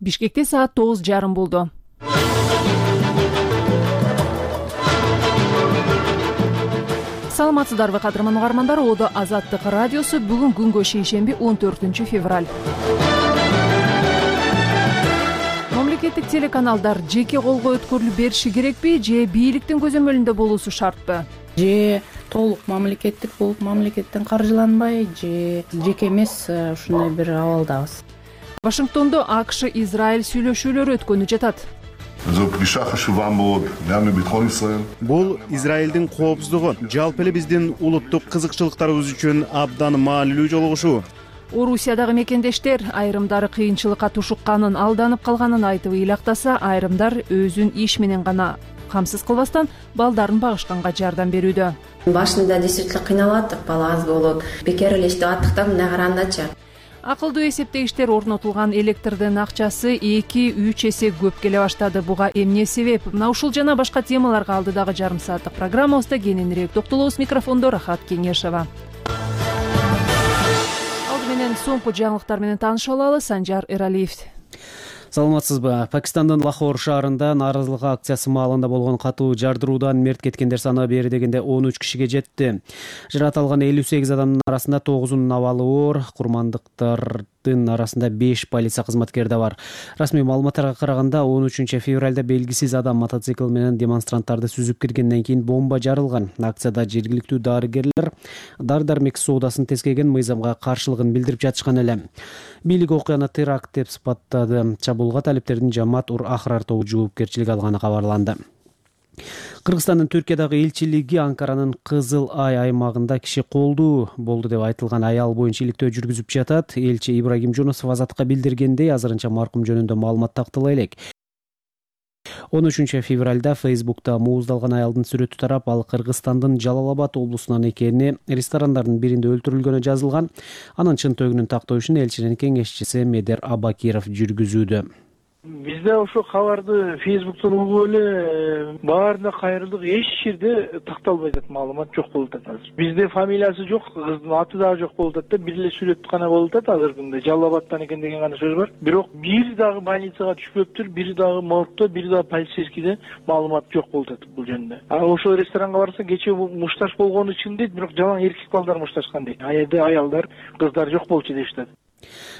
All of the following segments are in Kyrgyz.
Бишкекте саат 9:30 болду. Саламатсыздарбы кадырман угармандар, Одо Азаттык радиосу бүгүн күнгө шейшемби 14 февраль. Мамлекеттик телеканалдар жеке колго өткөрүлүп бериши керекпи же бийликтин көзөмөлүндө болуусу шартпы? Же толук мамлекеттик болуп, мамлекеттен каржыланбай, же жеке эмес, ушундай бир абалдабыз. Вашингтондо АКШ Израиль сүйлөшүүлөрү өткөнү жатат. Бул Израилдин коопсуздугу, жалпы эле биздин улуттук кызыкчылыктарыбыз үчүн абдан маанилүү жолугушуу. Орусиядагы мекендештер айрымдары кыйынчылыкка тушукканын, алданып калганын айтып ыйлактаса, айрымдар өзүн иш менен гана камсыз кылбастан балдарын багышканга жардам берүүдө. Башында действительно кыйналып аттык, бала аз болуп, бекер эле иштеп аттык да, мына карандачы. Акылдуу эсептегичтер орнотулган электрдин акчасы 2-3 эсе көп келе баштады. Буга эмне себеп? Мына ушул жана башка темаларга алдыдагы жарым сааттык программабызда кененирээк токтолобуз. Микрофондо Рахат Кеңешова. Алды менен соңку жаңылыктар менен таанышып алалы. Санжар Эралиев. Саламатсызбы? Пакистандын Лахор шаарында нааразылык акциясы маалында болгон катуу жардыруудан мерт кеткендер саны бери дегенде 13 кишиге жетти. Жаракат алган 58 адамдын арасында 9-унун абалы оор, курмандыктардын арасында 5 полиция кызматкери да бар. Расмий маалыматтарга караганда 13 февралда белгисиз адам мотоцикл менен демонстранттарды сүзүп киргенден кийин бомба жарылган. Акцияда жергиликтүү дарыгерлер дары-дармек соодасын тескеген мыйзамга каршылыгын билдирип жатышкан эле. Бийлик окуяны теракт деп сыпаттады. Чабуулга талиптердин Жамаат ур Ахрар тобу жоопкерчилик алганы кабарланды. Кыргызстандын Түркиядагы элчилиги Анкаранын Кызыл Ай аймагында киши колдуу болду деп айтылган аял боюнча иликтөө жүргүзүп жатат. Элчи Ибрагим Жунусов Азаттыкка билдиргендей, азырынча маркум жөнүндө маалымат тактала элек. 13 февралда Фейсбукта мууздалган аялдын сүрөтү тарап, ал Кыргызстандын Жалал-Абад облусунан экени, ресторандардын биринде өлтүрүлгөнү жазылган. Анын чын төгүнүн тактоо ишин элчинин кеңешчиси Медер Абакиров жүргүзүүдө. Бизде ошо кабарды Фейсбуктон угуп эле баарына кайрылдык, эч жерде такталбай атат, маалымат жок болуп атат азыр. Бизде фамилиясы жок, кыздын аты дагы жок болуп атат да, бир эле сүрөт гана болуп атат азыркы күндө. Жалал-Абадтан экен деген гана сөз бар. Бирок бир дагы больницага түшпөптүр, бир дагы моргто, бир дагы полицейскийде маалымат жок болуп атат бул жөнүндө. Ошо ресторанга барса, кечээ мушташ болгону үчүн дейт, бирок жалаң эркек балдар мушташкан дейт. Жерде аялдар, кыздар жок болчу деп атат,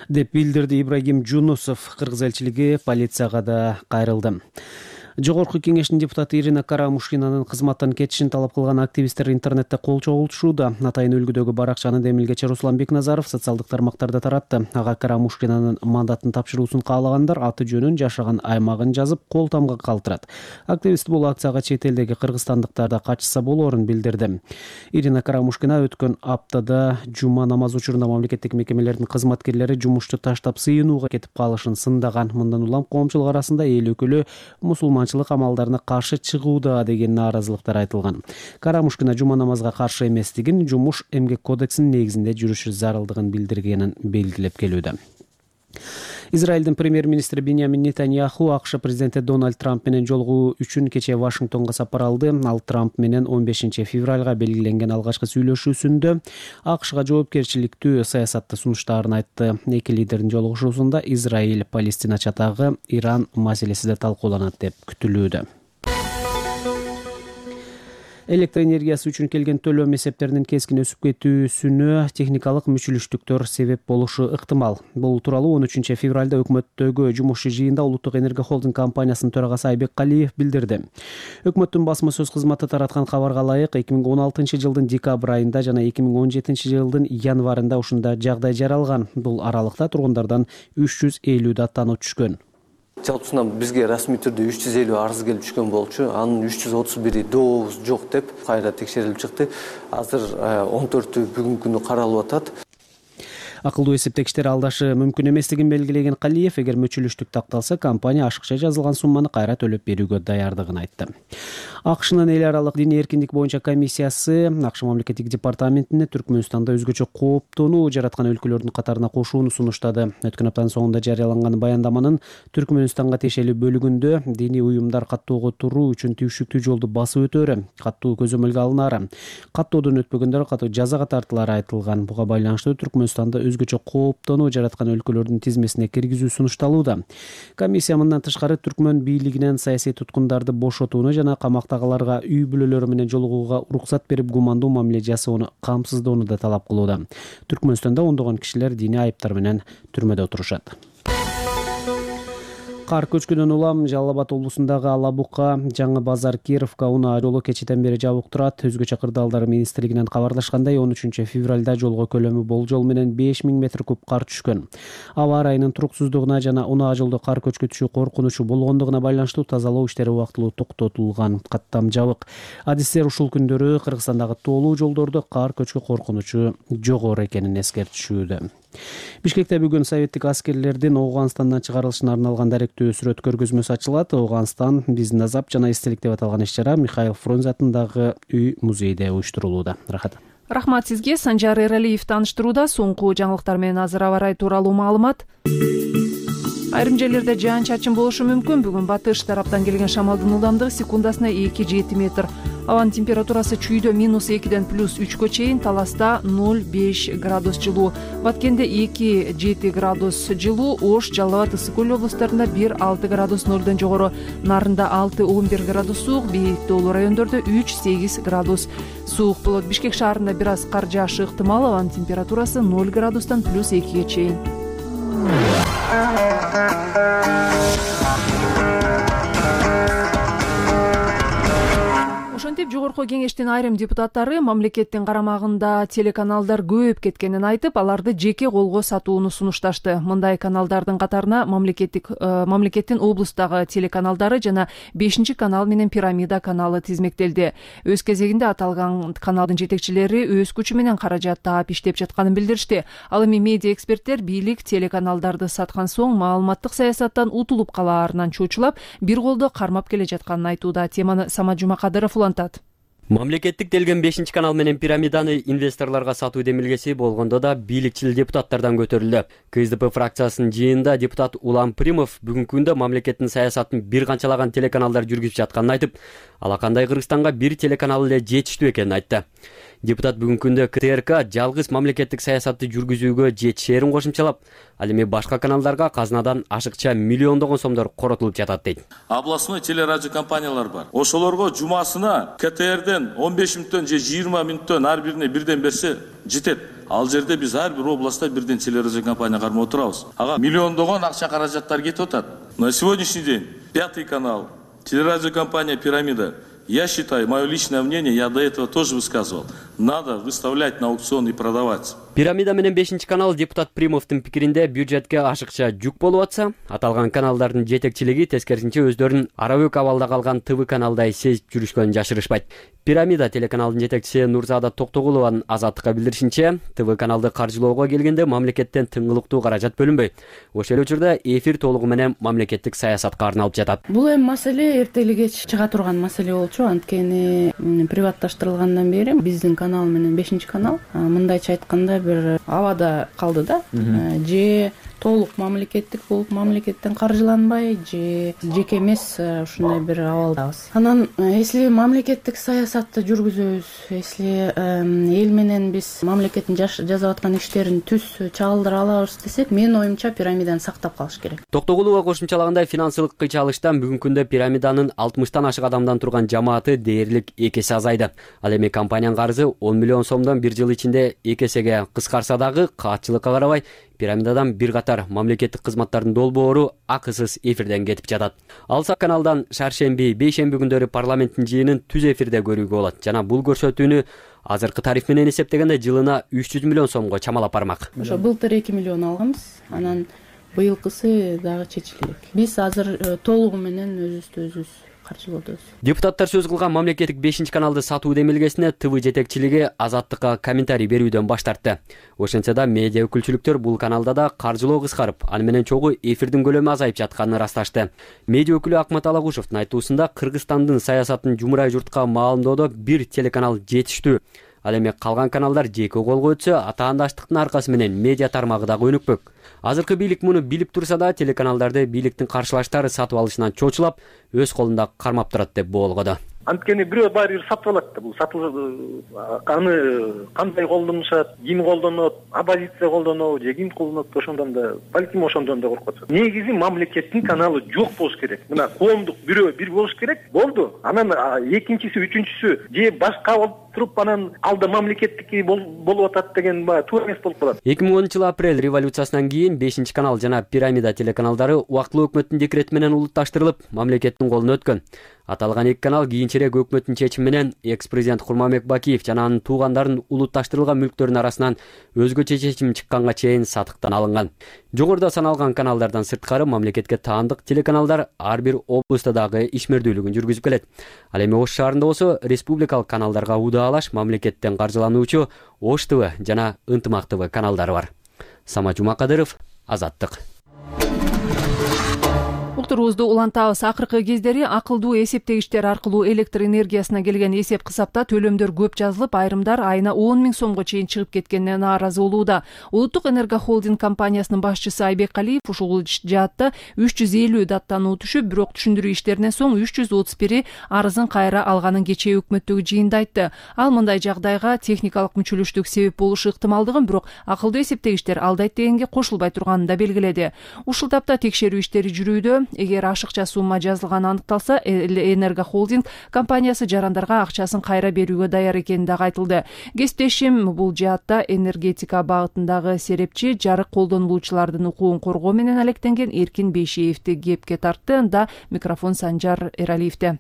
деп билдирди Ибрагим Жунусов. Кыргыз элчилиги полицияга да кайрылды. Жогорку кеңештин депутаты Ирина Карамушкинанын кызматтан кетишин талап кылган активисттер интернетте кол чогултушууда. Атайын үлгүдөгү баракчаны демилгечи Руслан Бекназаров социалдык тармактарда таратты. Ага Карамушкинанын мандатын тапшыруусун каалагандар аты жөнүн, жашаган аймагын жазып, кол тамга калтырат. Активист бул акцияга чет элдеги кыргызстандыктар да катышса болоорун билдирди. Ирина Карамушкина өткөн аптада жума намазы учурунда мамлекеттик мекемелердин кызматкерлери жумушту таштап сыйынууга кетип калышын сындаган. Мындан улам коомчулук арасында эл өкүлү мусулманчылык амалдарына каршы чыгууда деген нааразылыктар айтылган. Карамушкина жума намазга каршы эместигин, жумуш эмгек кодексинин негизинде жүрүшү зарылдыгын билдиргенин белгилеп келүүдө. Израилдин премьер-министри Биньямин Нетаньяху АКШ президенти Дональд Трамп менен жолугуу үчүн кечээ Вашингтонго сапар алды. Ал Трамп менен 15 февралга белгиленген алгачкы сүйлөшүүсүндө АКШга жоопкерчиликтүү саясатты сунуштаарын айтты. Эки лидердин жолугушуусунда Израиль-Палестина чатагы, Иран маселеси да талкууланат деп күтүлүүдө. Электр энергиясы үчүн келген төлөм эсептеринин кескин өсүп кетүүсүнө техникалык мүчүлүштүктөр себеп болушу ыктымал. Бул тууралуу 13 февралда өкмөттөгү жумушчу жыйында Улуттук энергия холдинг компаниясынын төрагасы Айбек Калиев билдирди. Өкмөттүн басма сөз кызматы тараткан кабарга ылайык, 2016 жылдын декабрь айында жана 2017 жылдын январында ушундай жагдай жаралган. Бул аралыкта тургундардан 350 даттануу түшкөн. Жалпысынан бизге расмий түрдө 350 арыз келип түшкөн болчу. Анын 331 дообуз жок деп кайра текшерилип чыкты. Азыр 14 бүгүнкү күнү каралып атат. Акылдуу эсептегичтер алдашы мүмкүн эместигин белгилеген Калиев, эгер мүчүлүштүк такталса, компания ашыкча жазылган сумманы кайра төлөп берүүгө даярдыгын айтты. АКШнын эл аралык диний эркиндик боюнча комиссиясы АКШ мамлекеттик департаментине Түркмөнстанда өзгөчө кооптонуу жараткан өлкөлөрдүн катарына кошууну сунуштады. Өткөн аптанын соңунда жарыяланган баяндаманын Түркмөнстанга тиешелүү бөлүгүндө диний уюмдар каттоого туруу үчүн түйшүктүү жолду басып өтөөрү, каттуу көзөмөлгө алынаары, каттоодон өтпөгөндөр катуу жазага тартылары айтылган. Буга байланыштуу Түркмөнстанда өзгөчө кооптонуу жараткан өлкөлөрдүн тизмесине киргизүү сунушталууда. Комиссия мындан тышкары түркмөн бийлигинен саясий туткундарды бошотууну жана камактагыларга үй бүлөлөрү менен жолугууга уруксат берип гумандуу мамиле жасоону камсыздоону да талап кылууда. Түркмөнстанда ондогон кишилер диний айыптар менен түрмөдө отурушат. Кар көчкүнөн улам Жалал Абад облусундагы Алабука, Жаңы Базар, Кировка унаа жолу кечээден бери жабык турат. Өзгөчө кырдаалдар министрлигинен кабарлашкандай 13 февралда жолго көлөмү болжол менен 5000 метр куб кар түшкөн. Аба ырайынын туруксуздугуна жана унаа жолдо кар көчкүтүшү коркунучу болгондугуна байланыштуу тазалоо иштери убактылуу токтотулган. Каттам жабык. Адистер ушул күндөрү Кыргызстандагы тоолуу жолдордо кар көчкү коркунучу жогору экенин эскертишүүдө. Бишкекте бүгүн советтик аскерлердин Ооганстандан чыгарылышына арналган даректүү сүрөт көргөзмөсү ачылат. Ооганстан биздин азап жана эстелик деп аталган иш-чара Михаил Фрунзе атындагы үй музейде уюштурулууда. Рахмат сизге. Санжар Эралиев тааныштырууда. Соңку жаңылыктар менен азыр аба ырайы тууралуу маалымат. Айрым жерлерде жаан-чачын болушу мүмкүн. Бүгүн батыш тараптан келген шамалдын ылдамдыгы секундасына 2-7 метр. Абанын температурасы чүйдө -2ден +3 чейин, Таласта 0-5 градус жылуу, Баткенде 2-7 градус жылуу, Ош, Жалал Абад, Ысык Көл облустарында 1-6 градус 0дон жогору, Нарында 6-11 градус суук, бийик тоолуу райондордо 3-8 градус суук болот. Бишкек шаарында бир аз кар жаашы ыктымал. Абанын температурасы 0 градустан +2 чейин. Ошентип жогорку кеңештин айрым депутаттары мамлекеттин карамагында телеканалдар көбөйүп кеткенин айтып, аларды жеке колго сатууну сунушташты. Мындай каналдардын катарына мамлекеттин облустагы телеканалдары жана 5-канал менен Пирамида каналы тизмектелди. Өз кезегинде аталган каналдын жетекчилери өз күчү менен каражат таап иштеп жатканын билдиришти. Ал эми медиа эксперттер бийлик телеканалдарды саткан соң маалыматтык саясаттан утулуп калаарынан чочулап, бир колдо кармап келе жатканын айтууда. Теманы Самат Жумакадыров улантат. Мамлекеттик делген 5-канал менен Пирамиданы инвесторлорго сатуу демилгеси болгондо да бийликчил депутаттардан көтөрүлдү. КСДП фракциясынын жыйынында депутат Улам Примов бүгүнкү күндө мамлекеттин саясатын бир канчалаган телеканалдар жүргүзүп жатканын айтып, алакандай Кыргызстанга бир телеканал эле жетиштүү экенин айтты. Депутат бүгүнкү күндө КТРК жалгыз мамлекеттик саясатты жүргүзүүгө жетишээрин кошумчалап, ал эми башка каналдарга казынадан ашыкча миллиондогон сомдор коротулуп жатат дейт. Областной телерадио компаниялар бар. Ошолорго жумасына КТРден 15 мүнөттөн же 20 мүнөттөн ар бирине бирден берсе жетет. Ал жерде биз ар бир областта бирден телерадио компания кармап отурабыз. Ага миллиондогон акча каражаттар кетип атат. На сегодняшний день 5 канал, телерадиокомпания «Пирамида». Я считаю, мое личное мнение, я до этого тоже высказывал, надо выставлять на аукцион и продавать. Пирамида менен 5-канал депутат Примовдун пикиринде бюджетке ашыкча жүк болуп атса, аталган каналдардын жетекчилиги тескерисинче өздөрүнүн арабөк абалда калган ТВ каналдай сезип жүрүшкөнүн жашырышпайт. Пирамида телеканалдын жетекчиси Нурзада Токтогулованын Азаттыкка билдиришинче, ТВ каналды каржылоого келгенде мамлекеттен тыңгылыктуу каражат бөлүнбөй. Ошол эле учурда эфир толугу менен мамлекеттик саясатка арналып жатат. Бул эми маселе эртели кеч чыга турган маселе болчу, анткени приватташтырылгандан бери биздин канал менен 5-канал мындайча айтканда бир абада калды да, же толук мамлекеттик болуп мамлекеттен каржыланбай, же жеке эмес ушундай бир абалдабыз. Анан если мамлекеттик саясатты жүргүзөбүз, если эл менен биз мамлекеттин жасап аткан иштерин түз чагылдыра алабыз десек, менин оюмча Пирамиданы сактап калыш керек. Токтогулова кошумчалагандай финансылык кыйчалыштан бүгүнкү күндө Пирамиданын 60тан ашык адамдан турган жамааты дээрлик 2 эсе азайды. Ал эми компаниянын карызы 10 миллион сомдон бир жыл ичинде 2 эсеге кыскарса дагы каатчылыкка карабай Пирамидадан бир катар мамлекеттик кызматтардын долбоору акысыз эфирден кетип жатат. Алсак каналдан шаршемби, бейшемби күндөрү парламенттин жыйынын түз эфирде көрүүгө болот жана бул көрсөтүүнү азыркы тариф менен эсептегенде жылына 300 миллион сомго чамалап бармак. Ошо былтыр 2 миллион алганбыз, анан быйылкысы дагы чечилет. Биз азыр толугу менен өзүбүздү каржылоодобуз. Депутаттар сөз кылган мамлекеттик 5-каналды сатуу демилгесине ТВ жетекчилиги Азаттыкка комментарий берүүдөн баш тартты. Ошентсе да медиа өкүлчүлүктөр бул каналда да каржылоо кыскарып, ал менен чогуу эфирдин көлөмү азайып жатканын ырасташты. Медиа өкүлү Акмат Алагушевдун айтуусунда Кыргызстандын саясатын жумурай журтка маалымдоодо бир телеканал жетиштүү. Ал эми калган каналдар жеке колго өтсө, атаандаштыктын аркасы менен медиа тармагы дагы өнүкпөк. Азыркы бийлик муну билип турса да, телеканалдарды бийликтин каршылаштары сатып алышынан чочулап, өз колунда кармап турат деп боолгоду. Анткени бирөө баары бир сатып алат да. Бул аны кандай колдонушат, ким колдонот, оппозиция колдонобу же ким колдонот, ошондон да балким ошондон да коркуп атышат. Негизи мамлекеттин каналы жок болуш керек. Мына коомдук бирөө бир болуш керек. Болду. Анан экинчиси, үчүнчүсү же башка болуп туруп анан алда мамлекеттики болуп атат деген туура эмес болуп калат. 2010 апрель революциясынан кийин 5 канал жана Пирамида телеканалдары убактылуу өкмөттүн декрети менен улутташтырылып, мамлекеттин колуна өткөн. Аталган эки канал кийинчерээк өкмөттүн чечими менен экс-президент Курманбек Бакиев жана анын туугандарын улутташтырылган мүлктөрүнүн арасынан өзгөчө чечим чыкканга чейин сатыктан алынган. Жогоруда саналган каналдардан сырткары мамлекетке таандык телеканалдар ар бир облустта дагы ишмердүүлүгүн жүргүзүп келет. Ал эми Ош шаарында болсо республикалык каналдарга удаалаш мамлекеттен каржылануучу Ош ТВ жана Ынтымак ТВ каналдары бар. Самат Жумакадыров, Азаттык. Уктурубузду улантабыз. Акыркы кездери акылдуу эсептегичтер аркылуу электр энергиясына келген эсеп кысапта төлөмдөр көп жазылып, айрымдар айына 10 000 сомго чейин чыгып кеткенине нааразы болууда. Улуттук энергохолдинг компаниясынын башчысы Айбек Алиев ушул жаатта 350 даттануу түшүп, бирок түшүндүрүү иштеринен соң 331 арызын кайра алганын кечээ өкмөттөгү жыйында айтты. Ал мындай жагдайга техникалык мүчөлүштүк себеп болушу ыктымалдыгын, бирок акылдуу эсептегичтер алдайт дегенге кошулбай турганын да белгиледи. Ушул тапта текшерүү иштери жүрүүдө. Эгер ашыкча сумма жазылганы аныкталса, энергохолдинг компаниясы жарандарга акчасын кайра берүүгө даяр экени дагы айтылды. Кесиптешим бул жаатта энергетика багытындагы серепчи жарык колдонулуучулардын укугун коргоо менен алектенген Эркин Бейшиевди кепке тартты. Анда микрофон Санжар Эралиевде.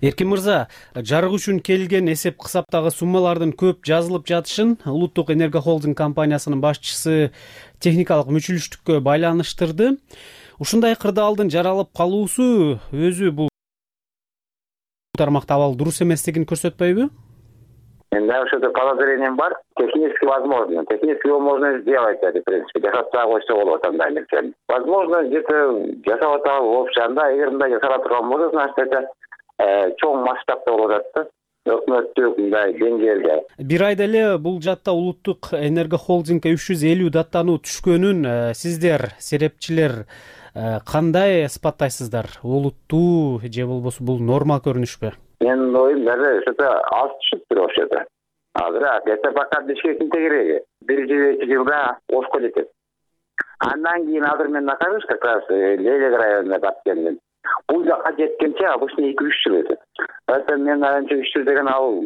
Эркин мырза, жарык үчүн келген эсеп кысаптагы суммалардын көп жазылып жатышын Улуттук энергохолдинг компаниясынын башчысы техникалык мүчөлүштүккө байланыштырды. Ушундай кырдаалдын жаралып калуусу өзү бул тармакта абал дурус эместигин көрсөтпөйбү? Менде ошол подозрением бар. Технически возможно сделать это, в принципе. Жасап койсо болот андай нерсени. Возможно, где-то жасап атабы общанда, эгер мындай жасала турган болсо, значит это чоң масштабта болуп атат да. Өкмөттүк мындай деңгээлде. Бир айда эле бул жаатта Улуттук энергохолдингге 350 даттануу түшкөнүн сиздер, серепчилер, кандай ысбаттайсыздар? Олуттуу же болбосо бул норма көрүнүшпү? Менин оюм дагы что-то аз түшүптүр ошол. Азыр это пока бешкектин тегереги. 1-2 жылда Ошко жетет. Андан кийин азыр мен нахожусь как раз Лелек районуна барып келдим. Бул жака жеткенче обычно 2-3 жыл өтөт. Это мен анча 3 жыл деген ал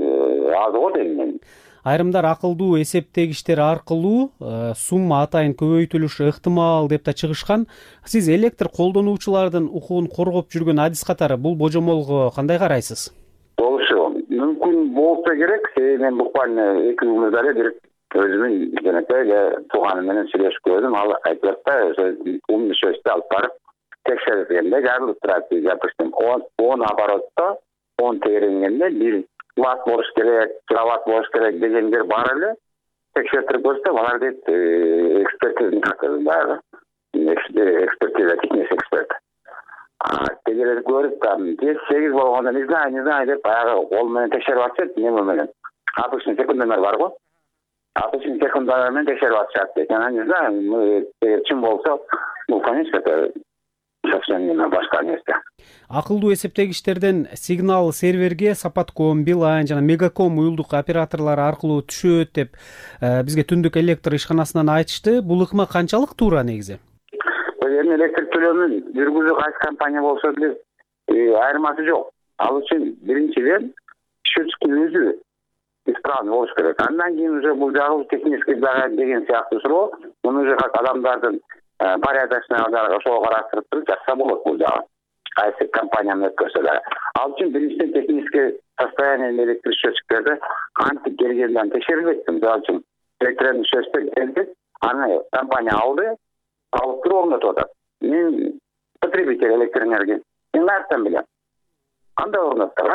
аз го дейм. Айрымдар акылдуу эсептегичтер аркылуу сумма атайын көбөйтүлүшү ыктымал деп да чыгышкан. Сиз электр колдонуучулардын укугун коргоп жүргөн адис катары бул божомолго кандай карайсыз? Болушу мүмкүн болсо керек. Мен буквально 2 күн эле бир өзүмүн жанакай тууганым менен сүйлөшүп көрдүм. Ал айтып атты, умный сөздү алып барып текшергенде жарылып турат. Допустим, 10 оборотто 10 теренгенде бир ватт болуш керек, киловатт болуш керек дегендер бар эле. Текшертип көрсөм, алар дейт экспертиза, техник эксперт. Тегерек көрүп, 8 болгондо не знаю деп баягы кол менен текшерип атышат, неме менен. Обычный секундомер бар го. Обычный секундомер менен текшерип атышат. Жана не знаю, чын болсо, бул конечно совсем башка нерсе. Акылдуу эсептегичтерден сигнал серверге Сапатком, Билайн жана Мегаком уюлдук операторлору аркылуу түшөт деп бизге Түндүк электр ишканасынан айтышты. Бул ыкма канчалык туура негизи? Эми электр төлөмүн жүргүзүү кайсы компания болсо деле айырмасы жок. Ал үчүн биринчиден счетчиктин өзү исправный болуш керек. Андан кийин уже бул жагы технический деген сыяктуу суроо, муну уже как адамдардын порядочный ошого караштырып туруп жатса болот бул жагы. Кайсы компанияны өткөрсө да. Ал үчүн биринчиден технический состояние электр счетчиктерди кантип келгенден текшерилбейт. Мисалы үчүн электрондук счетчиктер келди, аны компания алды, алып туруп орнотуп атат. Мен потребитель электр энергии. Мен каяктан билем? Кандай орноттур?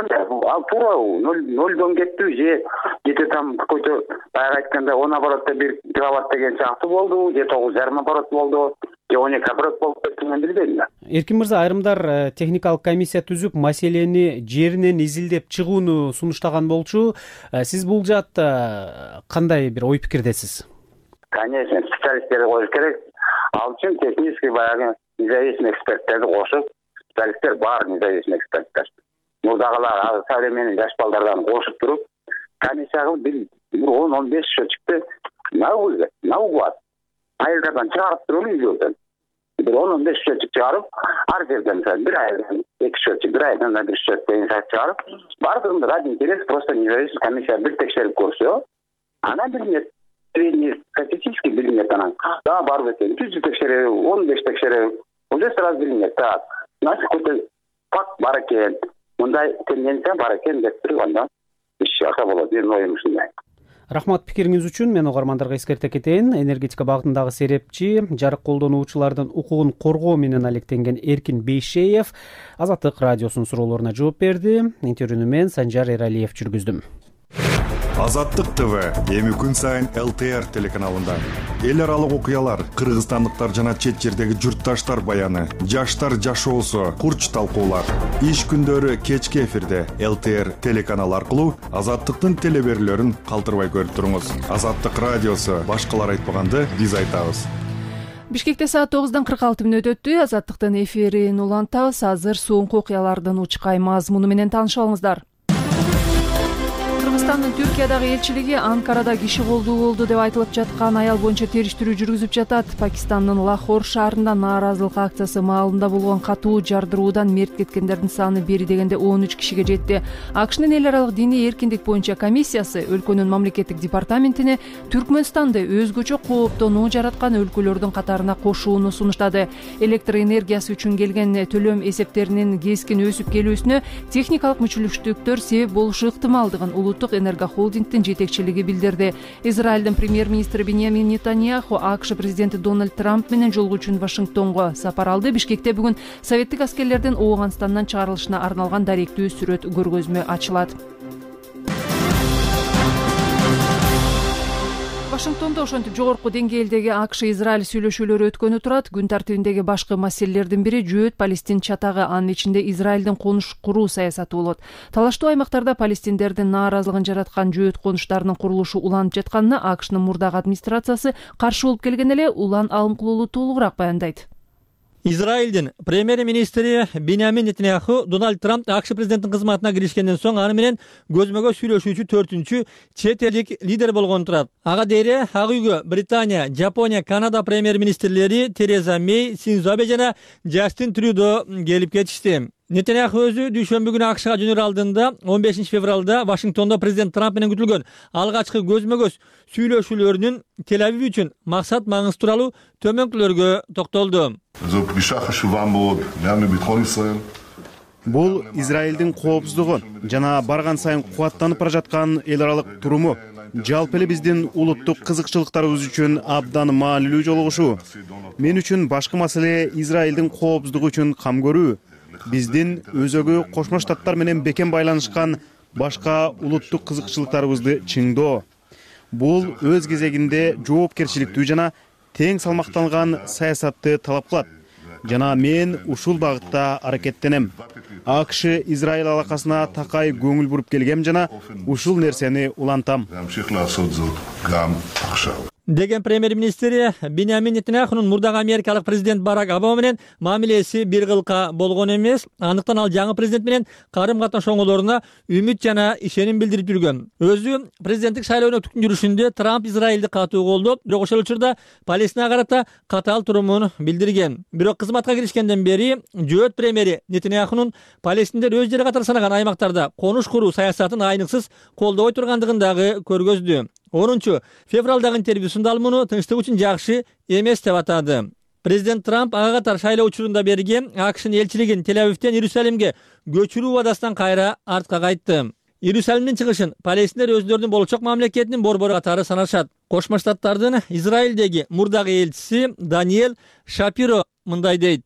Ал туура 0 кеттиби же где-то там какой-то баягы айтканда 10 оборотто 1 киловатт деген сыяктуу болду, же 9,5 оборот болду, же 12 оборот болуп кетти, мен билбейм да. Эркин мырза, айрымдар техникалык комиссия түзүп, маселени жеринен изилдеп чыгууну сунуштаган болчу. Сиз бул жаатта кандай бир ой пикирдесиз? Конечно, специалисттерди коюш керек. Ал үчүн технический баягы независимый эксперттерди кошуп, специалисттер бар, независимый эксперттер. мурдагылар современный жаш балдардан кошуп туруп комиссияга бир 10-15 счетчикти наугат айылдардан чыгарып туруп үйдөн бир 10-15 счетчик чыгарып ар жерден бир айдан 2 счетчик, бир айдан 1 счетчик деген чыгарып баардыгын ради интерес просто независимый комиссия бир текшерип көрсө анан билинет среднестатистический билинет анан барып экен 100 текшерүү 15 текшерүү уже сразу билинет значит какой-то факт бар экен мындай тенденция бар экен деп туруп анда иш аса болот. Менин оюм ушундай. Рахмат пикириңиз үчүн. Мен угармандарга эскерте кетейин. Энергетика багытындагы серепчи, жарык колдонуучулардын укугун коргоо менен алектенген Эркин Бейшеев Азаттык радиосунун суроолоруна жооп берди. Интервьюну мен Санжар Эралиев жүргүздүм. Азаттык ТВ эми күн сайын ЛТР телеканалында эл аралык окуялар, кыргызстандыктар жана чет жердеги журтташтар баяны, жаштар жашоосу, курч талкуулар. Иш күндөрү кечки эфирде ЛТР телеканалы аркылуу Азаттыктын телеберүүлөрүн калтырбай көрүп туруңуз. Азаттык радиосу башкалар айтпаганды биз айтабыз. Бишкекте саат 9:46 өттү. Азаттыктын эфирин улантабыз. Азыр соңку окуялардын учкай мазмуну менен таанышып алыңыздар. Кыргызстандын Түркиядагы элчилиги Анкарада киши колдуу болду деп айтылып жаткан аял боюнча териштирүү жүргүзүп жатат. Пакистандын Лахор шаарында нааразылык акциясы маалында болгон катуу жардыруудан мерт кеткендердин саны бери дегенде 13 кишиге жетти. АКШнын эл аралык диний эркиндик боюнча комиссиясы өлкөнүн мамлекеттик департаментине Түркмөнстанды өзгөчө кооптонуу жараткан өлкөлөрдүн катарына кошууну сунуштады. Электр энергиясы үчүн келген төлөм эсептеринин кескин өсүп келүүсүнө техникалык мүчүлүштүктөр себеп болушу ыктымалдыгын Улуттук энергохолдингдин жетекчилиги билдирди. Израилдин премьер-министри Беньямин Нетаньяху АКШ президенти Дональд Трамп менен жолугуу үчүн Вашингтонго сапар алды. Бишкекте бүгүн советтик аскерлердин Ооганстандан чыгарылышына арналган даректүү сүрөт көргөзмө ачылат. Вашингтондо ошентип жогорку деңгээлдеги АКШ-Израиль сүйлөшүүлөрү өткөнү турат. Күн тартибиндеги башкы маселелердин бири жөөт Палестин чатагы, анын ичинде Израилдин конуш куруу саясаты болот. Талаштуу аймактарда палестиндердин нааразылыгын жараткан жөөт конуштарынын курулушу уланып жатканына АКШнын мурдагы администрациясы каршы болуп келген эле Улан Алымкулуулу толугураак баяндайт. Израилдин премьер-министри Беньямин Нетаньяху Дональд Трамп АКШ президенттин кызматына киришкенден соң аны менен көзмөгө сүйлөшүүчү 4-чү чет элдик лидер болгон турат. Ага дейре Ак үйгө Британия, Жапония, Канада премьер-министрлери Тереза Мей, Синдзо Абе жана Джастин Трюдо келип кетишти. Нетаньяху өзү дүйшөмбү күнү АКШга жөнөр алдында 15 февралда Вашингтондо президент Трамп менен күтүлгөн алгачкы көзмө-көз сүйлөшүүлөрүнүн Тель-Авив үчүн максат маңыз тууралуу төмөнкүлөргө токтолду. Бул Израилдин коопсуздугу жана барган сайын кубаттанып бара жаткан эл аралык туруму жалпы эле биздин улуттук кызыкчылыктарыбыз үчүн абдан маанилүү жолугушуу. Мен үчүн башкы маселе Израилдин коопсуздугу үчүн кам көрүү. Биздин өзөгү Кошмо Штаттар менен бекем байланышкан башка улуттук кызыкчылыктарыбызды чыңдоо. Бул өз кезегинде жоопкерчиликтүү жана тең салмакталган саясатты талап кылат. Жана мен ушул багытта аракеттенем. АКШ Израиль алакасына такай көңүл буруп келгем жана ушул нерсени улантам. Деген премьер-министри Беньямин Нетаньяхунун мурдагы америкалык президент Барак Обама менен мамилеси бир кылка болгон эмес. Андыктан ал жаңы президент менен карым-катнаш оңолоруна үмүт жана ишеним билдирип жүргөн. Өзү президенттик шайлоонун өтүктүн жүрүшүндө Трамп Израилди катуу колдоп, бирок ошол учурда Палестинага карата катаал турумун билдирген. Бирок кызматка киришкенден бери жөөт премьери Нетаньяхунун Палестиндер өз жери катары санаган аймактарда конуш куруу саясатын айныксыз колдобой тургандыгын дагы көргөздү. 10 февралдагы интервьюсунда ал муну тынчтык үчүн жакшы эмес деп атады. Президент Трамп ага катар шайлоо учурунда берген АКШнын элчилигин Тель-Авивден Иерусалимге көчүрүү убадасынан кайра артка кайтты. Иерусалимдин чыгышын палестиндер өзүлөрүнүн болочок мамлекетинин борбору катары санашат. Кошмо Штаттардын Израилдеги мурдагы элчиси Даниэль Шапиро мындай дейт.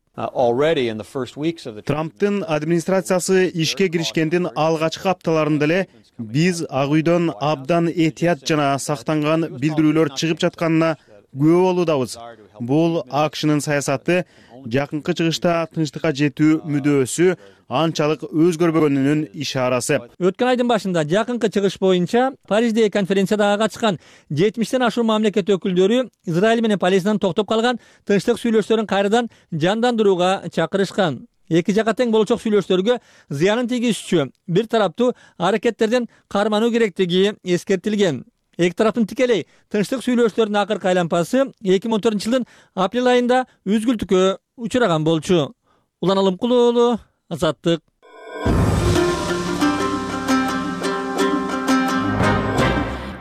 Трамптын администрациясы ишке киришкендин алгачкы апталарында эле биз Ак үйдөн абдан этият жана сактанган билдирүүлөр чыгып жатканына күбө болуудабыз. Бул АКШнын саясаты жакынкы чыгышта тынчтыкка жетүү мүдөөсү анчалык өзгөрбөгөнүнүн ишарасы. Өткөн айдын башында жакынкы чыгыш боюнча Париждеги конференцияда катышкан 70-тен ашуун мамлекет өкүлдөрү Израиль менен Палестинанын токтоп калган тынчтык сүйлөшүүлөрүн кайрадан жандандырууга чакырышкан. эки жакка тең болочок сүйлөшүүлөргө зыянын тийгизүүчү бир тараптуу аракеттерден кармануу керектиги эскертилген. Эки тараптын тикелей тынчтык сүйлөшүүлөрүнүн акыркы айланпасы 2014-жылдын апрель айында үзгүлтүккө учураган болчу. Улан Алымкулуу уулу, Азаттык.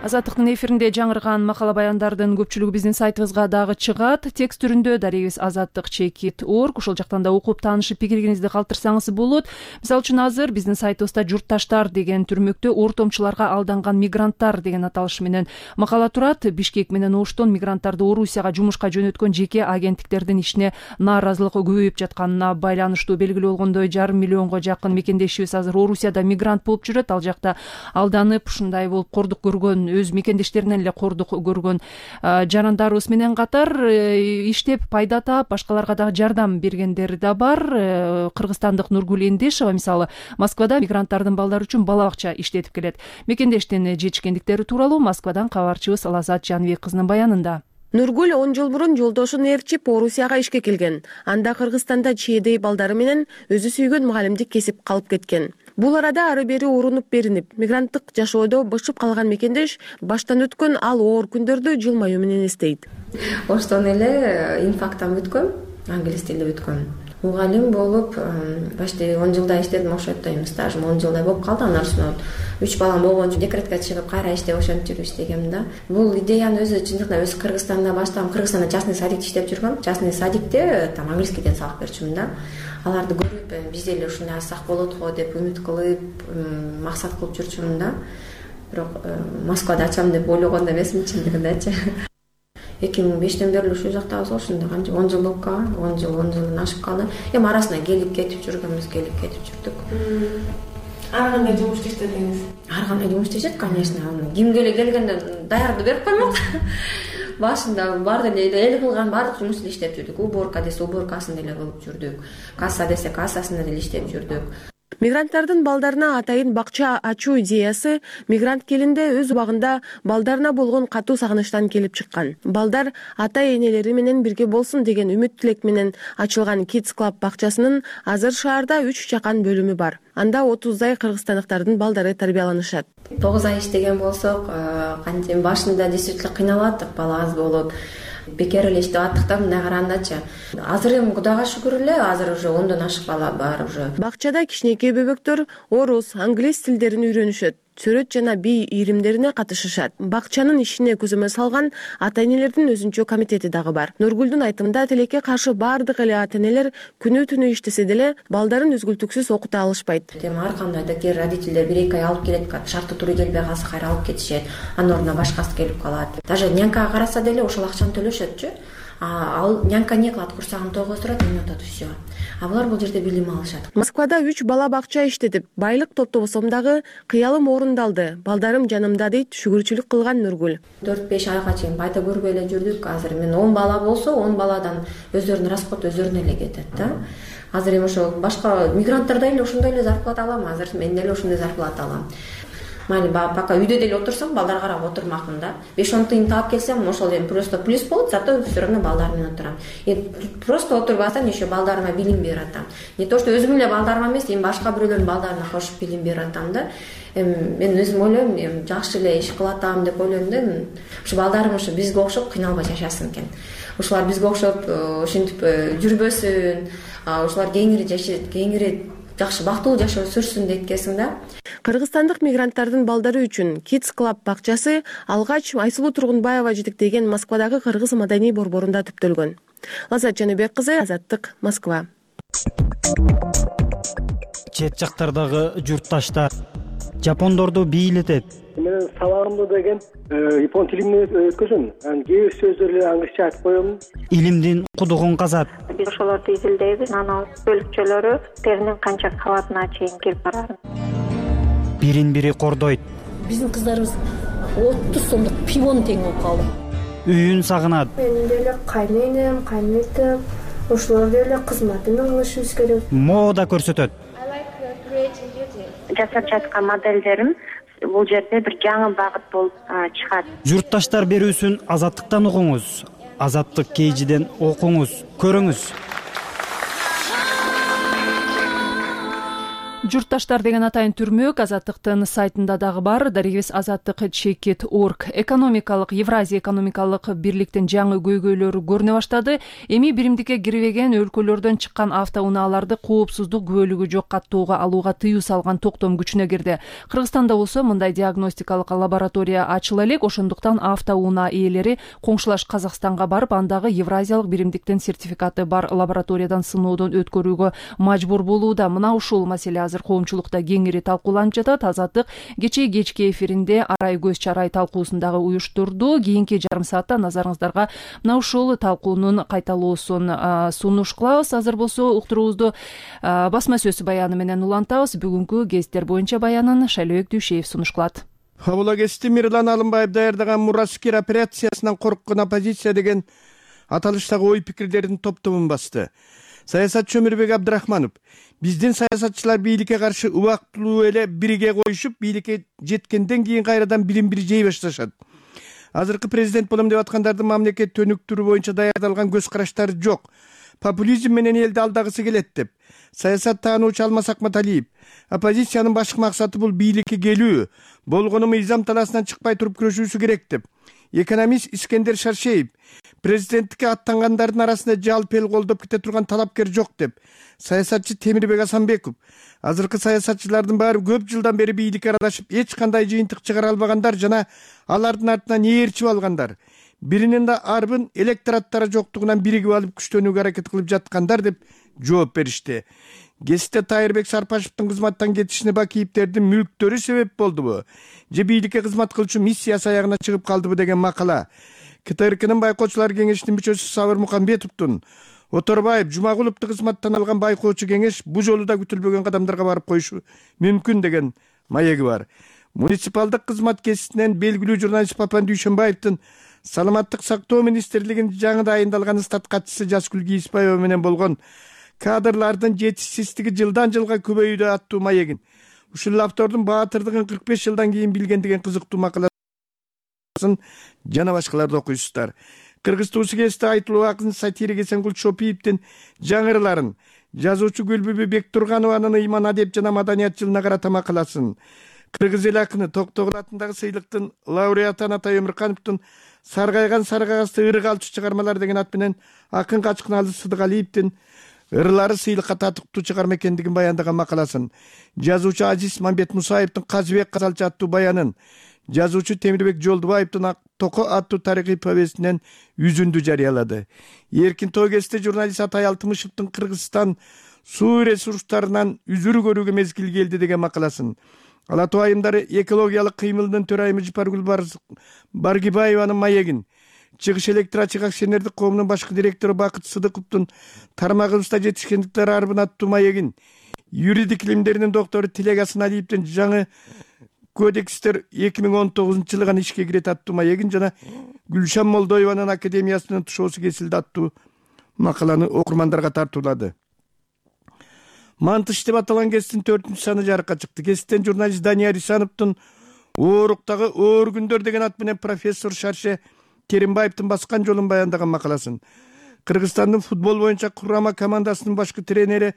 Азаттыктын эфиринде жаңырган макала баяндардын көпчүлүгү биздин сайтыбызга дагы чыгат. Текст түрүндө дарегибиз azattik.org. Ошол жактан да окуп таанышып пикириңизди калтырсаңыз болот. Мисалы үчүн азыр биздин сайтыбызда журтташтар деген түрмөктө ортомчуларга алданган мигранттар деген аталыш менен макала турат. Бишкек менен Оштон мигранттарды Орусияга жумушка жөнөткөн жеке агенттиктердин ишине нааразылык көбөйүп жатканына байланыштуу. Белгилүү болгондой 5,5 миллионго жакын мекендешибиз азыр Орусияда мигрант болуп жүрөт. Ал жакта алданып ушундай болуп кордук көргөн, өз мекендештеринен эле кордук көргөн жарандарыбыз менен катар иштеп пайда таап башкаларга дагы жардам бергендер да бар. Кыргызстандык Нургүл Эндешова мисалы Москвада мигранттардын балдары үчүн бала бакча иштетип келет. Мекендештин жетишкендиктери тууралуу Москвадан кабарчыбыз Лазат Жаныбек кызынын баянында. Нургүл 10 жыл мурун жолдошун ээрчип Орусияга ишке келген. Анда Кыргызстанда чийедей балдары менен өзү сүйгөн мугалимдик кесип калып кеткен. Бул арада ары бери урунуп беринип, мигранттык жашоодо бышып калган мекендеш баштан өткөн ал оор күндөрдү жылмаюу менен эстейт. Оштон эле инфаркттан бүткөм, англис тилде бүткөм. Мугалим болуп почти 10 жылдай иштедим, ошондой стажым 10 жылдай болуп калды. Андан соң 3 балам болгон үчүн декретке чыгып кайра иштеп ошентип иштегем да. Бул идеяны өзү чындыгында өз Кыргызстанда баштагам. Кыргызстанда частный садикте иштеп жүргөм. Частный садикте там английскийден сабак берчүмүн да. Аларды көрүп, биз эле ушундай алсак болот го деп үмүт кылып, максат кылып жүрчүмүн да. Бирок Москвада ачам деп ойлогон эмесмин чындыгындачы. 2005-тен бери ушул жактабыз ошондо 10 жыл болуп калган, 10 жылдан ашып калды. Эми арасында келип кетип жүргөнбүз, келип кетип жүрдүк. Ар кандай жумуш иштедиңиз? Ар кандай жумуш иштешет, конечно. Кимге эле келгенде даярды берип коймок. Башында баарды эле эл кылган баардык жумушту иштеп жүрдүк. Уборка десе уборкасын эле кылып жүрдүк. Касса десе кассасын эле иштеп жүрдүк. Мигранттардын балдарына атайын бакча ачуу идеясы мигрант келинде өз убагында балдарына болгон катуу сагынычтан келип чыккан. Балдар ата-энелери менен бирге болсун деген үмүт тилек менен ачылган Kids Club бакчасынын азыр шаарда 3 жакан бөлүмү бар. Анда 30дай кыргызстандыктардын балдары тарбияланышат. 9 ай иштеген болсок, кантип башында действительно кыйналаттык, бала аз болуп. Бекер эле иштеп аттыктан мындай карагандачы. Азыр эми Кудайга шүгүр эле, азыр уже 10дон ашык бала бар уже. Бакчада кичинекей бөбөктөр орус, англис тилдерин үйрөнүшөт. Чөрөт жана бий ийримдерине катышышат. Бакчанын ишине көзөмөл салган ата-энелердин өзүнчө комитети дагы бар. Нургүлдүн айтымында тилекке каршы баардык эле ата-энелер күнү-түнү иштесе деле балдарын үзгүлтүксүз окута алышпайт. Ар кандай да кээ родителдер 1-2 ай алып келет, шарттуу туру келбей калса кайра алып кетишет. Анын ордуна башкасы келип калат. Даже нянкага караса деле ошол акчаны төлөшөтчү. Ал нянка не кылат, курсагын тогуздурат, эме атат всё. А булар бул жерде билим алышат. Москвада 3 бала бакча иштетип, байлык топтобосом дагы кыялым орундалды. Балдарым жанымда дейт шүгүрчүлүк кылган Нургүл. 4-5 айга чейин пайда көрбөй эле жүрдүк. Азыр мен 10 бала болсо, 10 баладан өздөрүнүн расход өздөрүнө эле кетет да. Азыр эми ошо башка мигранттар да эле ошондой эле зарплата алам. Азыр мен деле ошондой зарплата алам. Майли пока үйдө деле отурсам, балдарга карап отурмакмын да. 5-10 тыйын таап келсем, ошол эми просто плюс болот, зато всё равно балдар менен отурам. Просто отурбасам, еще балдарыма билим берип атам. Не то что өзүмүн эле балдарыма эмес, эми башка бирөөлөрдүн балдарына кошуп билим берип атам да. Мен өзүм ойлойм, эми жакшы эле иш кылып атам деп ойлойм да. Ушу балдарым ушу бизге окшоп кыйналбай жашасын экен. Ушулар бизге окшоп ушинтип жүрбөсүн, ушулар кеңири жашайт, кеңири жакшы бактылуу жашоо сүрсүн дейткесиң да. Кыргызстандык мигранттардын балдары үчүн Kids Club бакчасы алгач Айсулуу Тургунбаева жетектеген Москвадагы кыргыз маданий борборунда түптөлгөн. Лазат Жаныбек кызы, Азаттык, Москва. Чет жактардагы журтташтар жапондорду бийлетет. Мен сабагымды деген япон тилинен өткөзөм. Кээ бир сөздөрдү англисче айтып коем. Илимдин кудугун казат. Биз ошолорду изилдейбиз. Анан бөлүкчөлөрү теринин канча кабатына чейин келип барат. Бирин-бири кордойт. Биздин кыздарыбыз 30 сомдук пивонун тең болуп калды. Үйүн сагынат. Менин деле кайненем, кайнетем, ошолор деле кызматын кылышыбыз керек. Мода көрсөтөт. Жасап жаткан моделдерим бул жерде бир жаңы багыт болуп чыгат. Журтташтар берүүсүн Азаттыктан угуңуз. Азаттык кейжиден окуңуз, көрүңүз. Журтташтар деген атайын түрмөк Азаттыктын сайтында дагы бар. Дарегибиз azattik.org. Экономикалык Евразия экономикалык бирликтин жаңы көйгөйлөрү көрүнө баштады. Эми биримдикке кирбеген өлкөлөрдөн чыккан автоунааларды коопсуздук күбөлүгү жок каттоого алууга тыюу салган токтом күчүнө кирди. Кыргызстанда болсо мындай диагностикалык лаборатория ачыла элек. Ошондуктан автоунаа ээлери коңшулаш Казакстанга барып, андагы Евразиялык биримдиктин сертификаты бар лабораториядан сыноодон өткөрүүгө мажбур болууда. Мына ушул маселе азыр коомчулукта кеңири талкууланып жатат. Азаттык кечки эфиринде арай көз чарай талкуусун дагы уюштурду. Кийинки жарым саатта назарыңыздарга мына ушул талкуунун кайталоосун сунуш кылабыз. Азыр болсо уктуруубузду басма сөз баяны менен улантабыз. Бүгүнкү кесиптер боюнча баянын Шайлообек Дүйшеев сунуш кылат. Абула кести Мирлан Алымбаев даярдаган Мураскер операциясынан корккон оппозиция деген аталыштагы ой пикирлердин топтомун басты. Саясатчы Өмүрбек Абдрахманов: биздин саясатчылар бийликке каршы убактылуу эле бирге коюшуп, бийликке жеткенден кийин кайрадан билим бир жей башташат. Азыркы президент болом деп аткандардын мамлекет өнүктүрүү боюнча даярдалган көз караштары жок. Популизм менен элди алдагысы келет деп саясат таануучу Алмаз Акматалиев: оппозициянын башкы максаты бул бийликке келүү, болгону мыйзам талаасынан чыкпай туруп күрөшүүсү керек деп. Экономист Искендер Шаршеев: президенттикке аттангандардын арасында жалпы эл колдоп кете турган талапкер жок деп. Саясатчы Темирбек Асанбеков: азыркы саясатчылардын баары көп жылдан бери бийликке аралашып, эч кандай жыйынтык чыгара албагандар жана алардын артынан ээрчип алгандар. Биринин да арбын электораттары жоктугунан биригип алып күчтөнүүгө аракет кылып жаткандар деп жооп беришти. Кесипте Тайырбек Сарпашевдин кызматтан кетишине Бакиевдердин мүлктөрү себеп болдубу же бийликке кызмат кылчу миссиясы аягына чыгып калдыбы деген макала. КТРКнын байкоочулар кеңешинин мүчөсү Сабыр Мукамбетовдун Оторбаев Жумагуловду кызматтан алган байкоочу кеңеш бул жолу да күтүлбөгөн кадамдарга барып коюшу мүмкүн деген маеги бар. Муниципалдык кызмат кесисинен белгилүү журналист Папан Дүйшөнбаевдин Саламаттык сактоо министрлигинин жаңы дайындалган стат катчысы Жасгүл Кийиспаева менен болгон кадрлардын жетишсиздиги жылдан жылга көбөйүүдө аттуу маегин, ушул автордун баатырдыгын 45 жылдан кийин билген деген кызыктуу макаласын жана башкаларды окуйсуздар. Кыргыз туусу кесте айтылуу акын сатирик Эсенгул Чопиевдин жаңырыларын, жазуучу Гүлбүбү Бектурганованын ыйман адеп жана маданият жылына карата макаласын, кыргыз эл акыны Токтогул атындагы сыйлыктын лауреаты Анатай Өмүркановдун Саргайган саргагасты ырык алчу чыгармалар деген ат менен акын Качкыналы Сыдыгалиевдин ырлары сыйлыкка татыктуу чыгарма экендигин баяндаган макаласын, жазуучу Азиз Мамбет Мусаевдин Казыбек Казалчы аттуу баянын, жазуучу Темирбек Жолдубаевдин Токо аттуу тарыхый повестинен үзүндү жарыялады. Эркин Тогесте журналист Атай Алтымышевдин Кыргызстан суу ресурстарынан үзүр көрүүгө мезгил келди деген макаласын, Ала тоо айымдары экологиялык кыймылдын төрайымы Жипаргүл Баргибаеванын маегин, Чыгыш электроачык акционердик коомунун башкы директору Бакыт Сыдыковдун тармагыбызда жетишкендиктер арбын аттуу маегин, юридик илимдеринин доктору Тилек Асаналиевдин жаңы кодекстер 2019-жылы ишке кирет аттуу маегин жана Гүлшан Молдоеванын академиясынын тушоосу кесилди аттуу макаланы окурмандарга тартуулады. Мантыш деп аталган кесиптин 4-саны жарыкка чыкты. Кесиптен журналист Дания Рисановдун Ооруктагы оор күндөр деген ат менен профессор Шарше Керимбаевдин баскан жолун баяндаган макаласын, Кыргызстандын футбол боюнча курама командасынын башкы тренери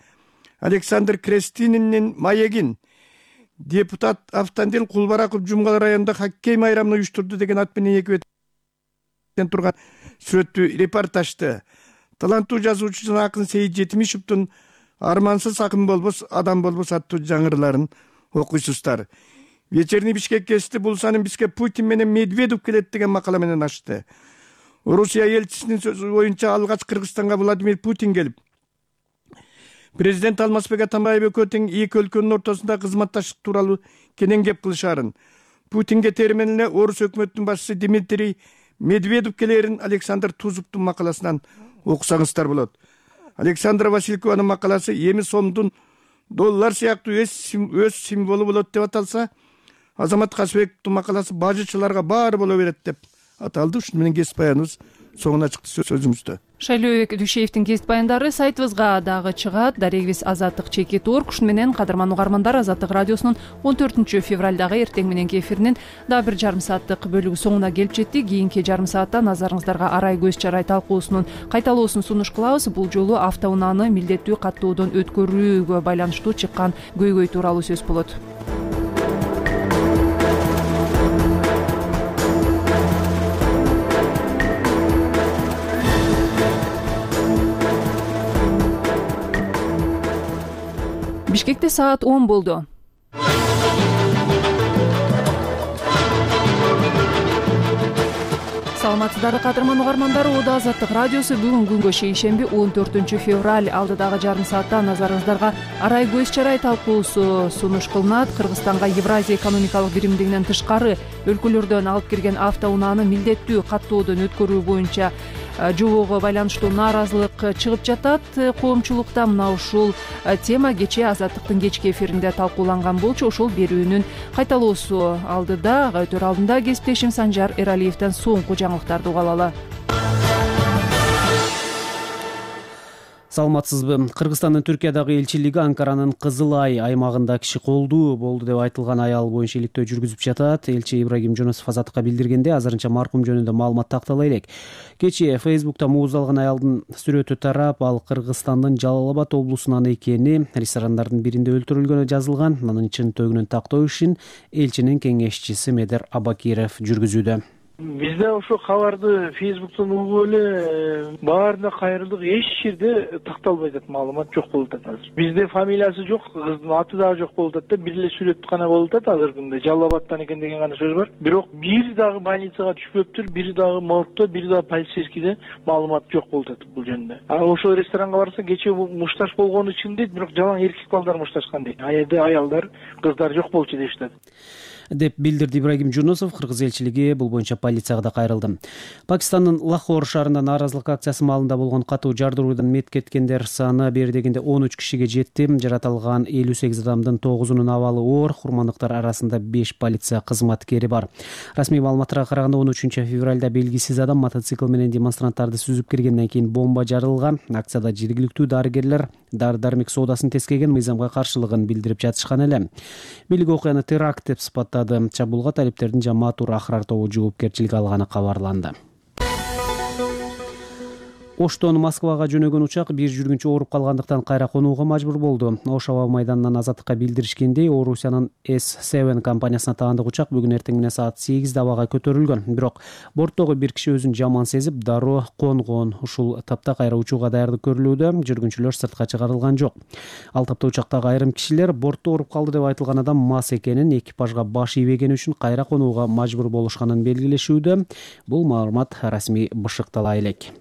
Александр Крестининин маегин, депутат Автандил Кулбараков Жумгал районунда хоккей майрамын уюштурду деген ат менен эки беттен турган сүрөттүү репортажды, таланттуу жазуучу жана акын Сейит Жетимишевдин Армансыз акын болбос, адам болбос аттуу жаңырыларын окуйсуздар. Вечерний Бишкек кести бул санын бизге Путин менен Медведев келет деген макала менен ачты. Орусия элчисинин сөзү боюнча алгач Кыргызстанга Владимир Путин келип, президент Алмазбек Атамбаев экөө тең эки өлкөнүн ортосунда кызматташтык тууралуу кенен кеп кылышаарын, Путинге термен эле орус өкмөтүнүн башчысы Дмитрий Медведев келерин Александр Тузовдун макаласынан окусаңыздар болот. Александра Василькованын макаласы эми сомдун доллар сыяктуу өз символу болот деп аталса, Азамат Касыбековдун макаласы бажычыларга баары боло берет деп аталды. Ушуну менен кесип баяныбыз соңуна чыкты сөзүңүздө. Шайлообек Дүйшеевдин кесип баяндары сайтыбызга дагы чыгат. Дарегибиз Азаттык чекит орг. Ушуну менен кадырман угармандар, Азаттык радиосунун 14 февралдагы эртең мененки эфиринин дагы бир жарым сааттык бөлүгү соңуна келип жетти. Кийинки жарым саатта назарыңыздарга арай көз чарай талкуусунун кайталоосун сунуш кылабыз. Бул жолу автоунааны милдеттүү каттоодон өткөрүүгө байланыштуу чыккан көйгөй тууралуу сөз болот. Бишкекте саат 10 болду. Саламатсыздарбы кадырман угармандар, Ода Азаттык радиосу бүгүн күнгө шейшемби 14 февраль алдыдагы жарым саатта назарыңыздарга арай көз чарай талкуусу сунуш кылынат. Кыргызстанга Евразия экономикалык биримдигинен тышкары өлкөлөрдөн алып кирген автоунааны милдеттүү каттоодон өткөрүү боюнча жобого байланыштуу нааразылык чыгып жатат. Коомчулукта мына ушул тема кечээ Азаттыктын кечки эфиринде талкууланган болчу. Ошол берүүнүн кайталоосу алдыда, өтөр алдында кесиптешим Санжар Эралиевден соңку жаңылыктарды уга алалы. Саламатсызбы? Кыргызстандын Түркиядагы элчилиги Анкаранын Кызыл Ай аймагында киши колдуу болду деп айтылган аял боюнча иликтөө жүргүзүп жатат. Элчи Ибрагим Жунусов Азаттыкка билдиргенде, азырынча маркум жөнүндө маалымат тактала элек. Кечээ Фейсбукта мууздалган аялдын сүрөтү тарап, ал Кыргызстандын Жалал Абад облусунан экени, ресторандардын биринде өлтүрүлгөнү жазылган. Анын чын төгүнүн тактоо ишин элчинин кеңешчиси Медер Абакиров жүргүзүүдө. Бизде ошо кабарды Фейсбуктан угуп эле баарына кайрылдык, эч жерде такталбай атат, маалымат жок болуп атат азыр. Бизде фамилиясы жок, кыздын аты дагы жок болуп атат да, бир эле сүрөт гана болуп атат азыркы күндө. Жалал Абадтан экен деген гана сөз бар. Бирок бир дагы больницага түшпөптүр, бир дагы моргто, бир дагы полицейскийде маалымат жок болуп атат бул жөнүндө. Ошол ресторанга барса, кечээ мушташ болгону үчүн дейт, бирок жалаң эркек балдар мушташкан дейт. Аялда аялдар, кыздар жок болчу дешти деп билдирди Ибрагим Жунусов. Кыргыз элчилиги бул боюнча полицияга да кайрылды. Пакистандын Лахор шаарында нааразылык акциясы маалында болгон катуу жардыруудан мет кеткендер саны бери дегенде 13 кишиге жетти. Жаратылган 58 адамдын 9-унун абалы оор, курмандыктар арасында 5 полиция кызматкери бар. Расмий маалыматтарга караганда 13 февралда белгисиз адам мотоцикл менен демонстранттарды сүзүп киргенден кийин бомба жарылган. Акцияда жергиликтүү дарыгерлер дары-дармек соодасын тескеген мыйзамга каршылыгын билдирип жатышкан эле. Бийлик окуяны теракт деп сыпаттады. Чабуулга талиптердин Жамаат Ахрар тобу жоопкерчиликке алганы кабарланды. Оштон Москвага жөнөгөн учак бир жүргүнчү ооруп калгандыктан кайра конууга мажбур болду. Ош аба майданынан Азаттыкка билдиришкендей, Орусиянын S7 компаниясына таандык учак бүгүн эртең менен саат 8 абага көтөрүлгөн. Бирок борттогу бир киши өзүн жаман сезип, дароо конгон. Ушул тапта кайра учууга даярдык көрүлүүдө, жүргүнчүлөр сыртка чыгарылган жок. Ал тапта учактагы айрым кишилер бортто ооруп калды деп айтылган адам мас экенин, экипажга баш ийбегени үчүн кайра конууга мажбур болушканын белгилешүүдө. Бул маалымат расмий бышыктала элек.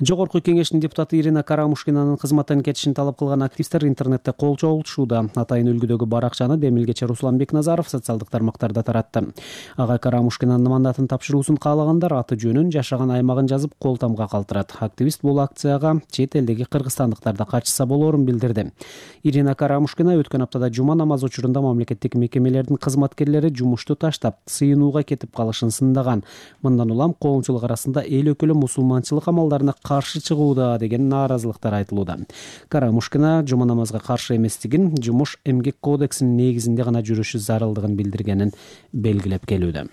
Жогорку кеңештин депутаты Ирина Карамушкинанын кызматтан кетишин талап кылган активисттер интернетте кол чогултушууда. Атайын үлгүдөгү баракчаны Демилгече Руслан Бекназаров социалдык тармактарда таратты. Ага Карамушкинанын мандатын тапшыруусун каалагандар аты жөнүн, жашаган аймагын жазып кол тамга калтырат. Активист бул акцияга чет элдеги кыргызстандыктар да катышса болоорун билдирди. Ирина Карамушкина өткөн аптада жума намазы учурунда мамлекеттик мекемелердин кызматкерлери жумушту таштап, сыйынууга кетип калышын сындаган. Мындан улам коомчулук арасында эл өкүлү мусулманчылык амалдарына каршы чыгууда деген нааразылыктар айтылууда. Карамушкина жума намазга каршы эместигин, жумуш эмгек кодексинин негизинде гана жүрүшү зарылдыгын билдиргенин белгилеп келүүдө.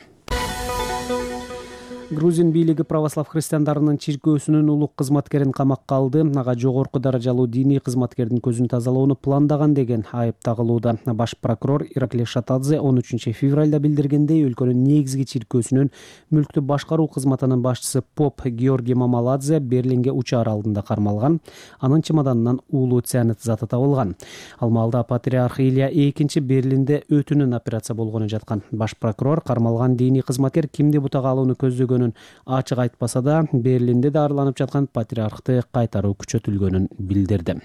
Грузин бийлиги православ христиандарынын чиркөөсүнүн улук кызматкерин камакка алды. Ага жогорку даражалуу диний кызматкердин көзүн тазалоону пландаган деген айып тагылууда. Баш прокурор Ираклий Шатадзе 13 февралда билдиргендей, өлкөнүн негизги чиркөөсүнүн мүлктү башкаруу кызматынын башчысы поп Георгий Мамаладзе Берлинге учаар алдында кармалган. Анын чемоданынан уулуу цианид заты табылган. Ал маалда патриарх Илья II Берлинде өтүнөн операция болгону жаткан. Баш прокурор кармалган диний кызматкер кимди бутага алууну көздөгөн ачык айтпаса да, Берлинде дарыланып жаткан патриархты кайтаруу күчөтүлгөнүн билдирди.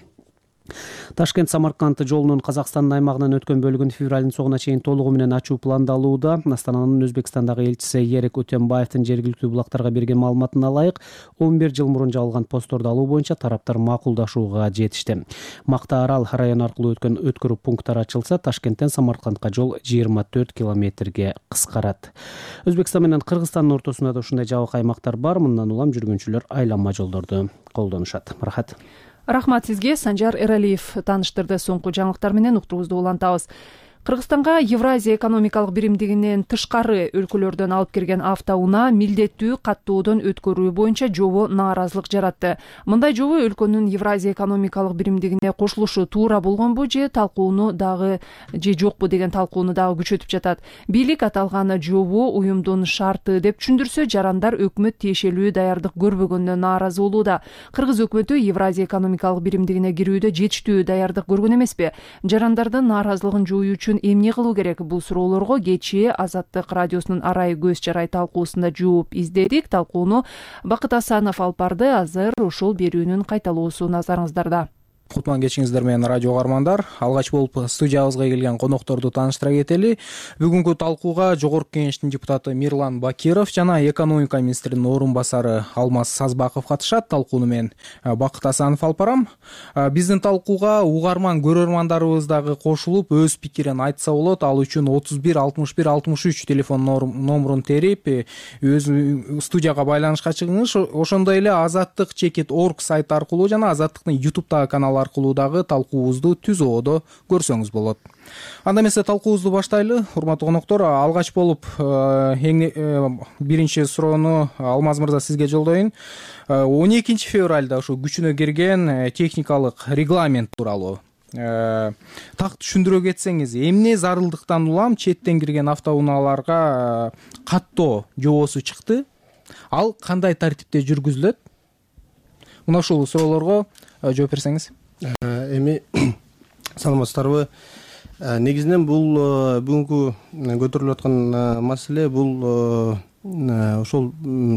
Ташкент Самарканд жолунун Казакстандын аймагынан өткөн бөлүгүн февралдын соңуна чейин толугу менен ачуу пландалууда. Астананын Өзбекстандагы элчиси Ерек Өтөнбаевдин жергиликтүү булактарга берген маалыматына ылайык 11 жыл мурун жабылган постторду алуу боюнча тараптар макулдашууга жетишти. Макта Арал району аркылуу өткөн өткөрүү пункттары ачылса, Ташкенттен Самаркандга жол 24 километрге кыскарат. Өзбекстан менен Кыргызстандын ортосунда да ушундай жабык аймактар бар. Мындан улам жүргүнчүлөр айланма жолдорду колдонушат. Рахмат сизге. Санжар Эралиев тааныштырды. Соңку жаңылыктар менен уктуруубузду улантабыз. Кыргызстанга Евразия экономикалык биримдигинен тышкары өлкөлөрдөн алып кирген автоунаа милдеттүү каттоодон өткөрүү боюнча жобо нааразылык жаратты. Мындай жобо өлкөнүн Евразия экономикалык биримдигине кошулушу туура болгонбу же талкууну дагы жокпу деген талкууну дагы күчөтүп жатат. Бийлик аталган жобо уюмдун шарты деп түшүндүрсө, жарандар өкмөт тиешелүү даярдык көрбөгөнүнө нааразы болууда. Кыргыз өкмөтү Евразия экономикалык биримдигине кирүүдө жетиштүү даярдык көргөн эмеспи? Жарандардын нааразылыгын жоюу үчүн эмне кылуу керек? Бул суроолорго кечээ Азаттык радиосунун арай көз жарай талкуусунда жооп издедик. Талкууну Бакыт Асанов алып барды. Азыр ошол берүүнүн кайталоосу назарыңыздарда. Кутман кечиңиздер менен радио угармандар. Алгач болуп студиябызга келген конокторду тааныштыра кетели. Бүгүнкү талкууга Жогорку Кеңештин депутаты Мирлан Бакиров жана экономика министринин орун басары Алмаз Сазбаков катышат. Талкууну мен Бакыт Асанов алып барам. Биздин талкууга угарман көрөрмандарыбыз дагы кошулуп өз пикирин айтса болот. Ал үчүн 31 61 63 телефон номерун терип өз студияга байланышка чыгыңыз. Ошондой эле azattik.org сайты аркылуу жана Азаттыктын YouTube'дагы канал аркылуу дагы талкуубузду түз ободо көрсөңүз болот. Анда эмесе талкуубузду баштайлы. Урматтуу коноктор, алгач болуп биринчи суроону Алмаз мырза сизге жолдоюн. 12 февралда ошо күчүнө кирген техникалык регламент тууралуу так түшүндүрө кетсеңиз, эмне зарылдыктан улам четтен кирген автоунааларга каттоо жобосу чыкты? Ал кандай тартипте жүргүзүлөт? Мына ушул суроолорго жооп берсеңиз. Эми саламатсыздарбы? Негизинен бул бүгүнкү көтөрүлүп аткан маселе бул ошол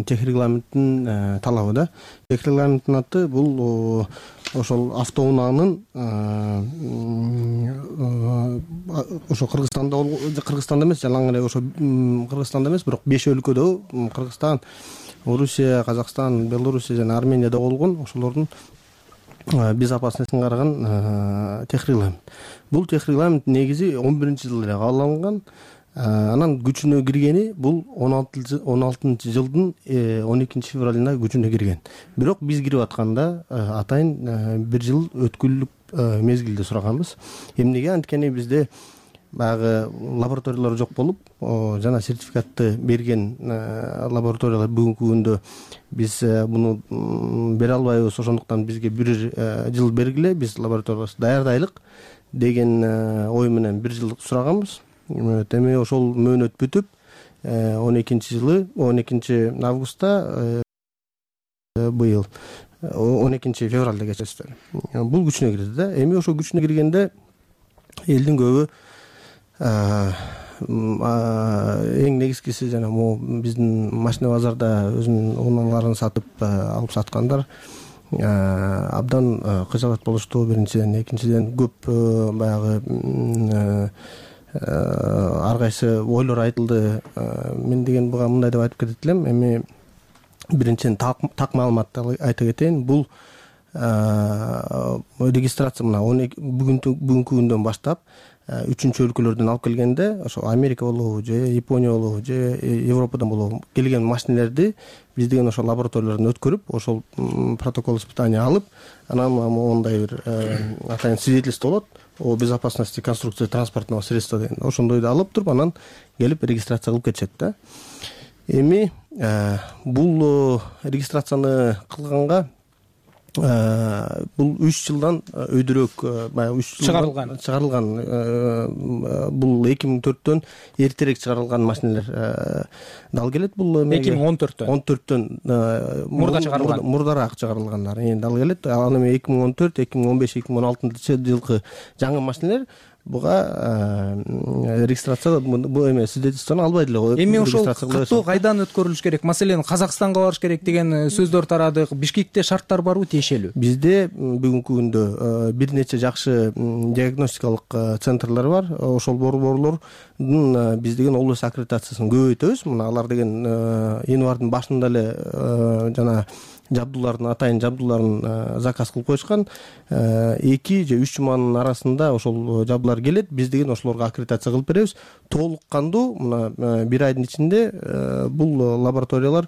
техрегламенттин талабы да. Техрегламенттин аты бул ошол автоунаанын ошо Кыргызстанда эмес, жалаң эле ошо Кыргызстанда эмес, бирок 5 өлкөдө Кыргызстан, Орусия, Казакстан, Белоруссия жана Арменияда болгон ошолордун безопасностун караган техрегламент. Бул техрегламент негизи 11-жылы эле кабыл алынган. Анан күчүнө киргени бул 16-жылдын 12 февралында күчүнө кирген. Бирок биз кирип атканда атайын 1 жыл өткүлүк мезгилде сураганбыз. Эмнеге? Анткени бизде баягы лабораториялар жок болуп, жана сертификатты берген лабораториялар бүгүнкү күндө биз муну бере албайбыз. Ошондуктан бизге 1 жыл бергиле, биз лабораториябызды даярдайлык деген ой менен 1 жыл сураганбыз. Эми ошол мөөнөт бүтүп 12 августта быйыл 12 февралда кечесиз. Бул күчүнө кирди да. Эми ошол күчүнө киргенде элдин көбү эң негизгиси жана могу биздин машина базарда өзүнүн унааларын сатып алып саткандар абдан кыжалат болушту. Биринчиден, экинчиден көп баягы ар кайсы ойлор айтылды. Мен деген буга мындай деп айтып кетет элем. Эми биринчиден так маалыматты айта кетейин. Бул регистрация мына бүгүнкү күндөн баштап 3-чү өлкөлөрдөн алып келгенде, ошо Америка болобу же Япония болобу же Европадан болобу келген машинелерди биз деген ошо лабораториялардан өткөрүп, ошол протокол испытания алып, анан мондай бир атайын свидетельство болот о безопасности конструкции транспортного средства деген. Ошондойду алып туруп, анан келип регистрация кылып кетишет да. Эми бул регистрацияны кылганга бул 3 жылдан өйдүрөөк, баягы 3 жыл чыгарылган. Бул 2004төн эртерээк чыгарылган машинелер дал келет. Бул 2014төн мурда чыгарылган, мурдараак чыгарылгандар дал келет. Ал эми 2014, 2015, 2016 жылкы жаңы машинелер буга регистрация бул эме свидетельствону албайт эле. Эми ошол каттоо кайдан өткөрүлүш керек? Маселен, Казакстанга барыш керек деген сөздөр тарадык. Бишкекте шарттар барбы тиешелүү? Бизде бүгүнкү күндө бир нече жакшы диагностикалык центрлер бар. Ошол борборлордун биз деген область аккредитациясын көбөйтөбүз. Мына алар деген январдын башында эле жана жабдуулардын атайын жабдууларын заказ кылып коюшкан. 2 же 3 жуманын арасында ошол жабдуулар келет. Биз деген ошолорго аккредитация кылып беребиз. Толук кандуу мына 1 айдын ичинде бул лабораториялар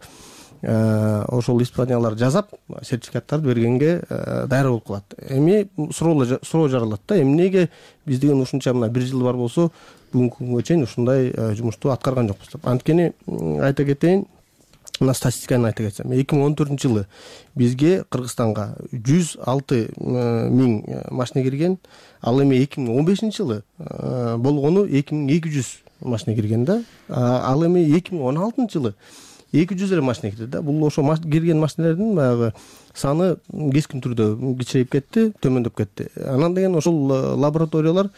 ошол испаниялар жасап сертификаттарды бергенге даяр болуп калат. Эми суроо жаралат да. Эмнеге биз деген ушунча мына 1 жыл бар болсо бүгүнкү күнгө чейин ушундай жумушту аткарган жокпуз деп. Анткени айта кетейин, мына статистиканы айта кетсем, 2014-жылы бизге Кыргызстанга 106 миң машина кирген, ал эми 2015-жылы болгону 2200 машина кирген да. Ал эми 2016-жылы 200 эле машина кирди да. Бул ошо кирген машиналардын баягы саны кескин түрдө кичирейип кетти, төмөндөп кетти. Анан деген ошол лабораториялар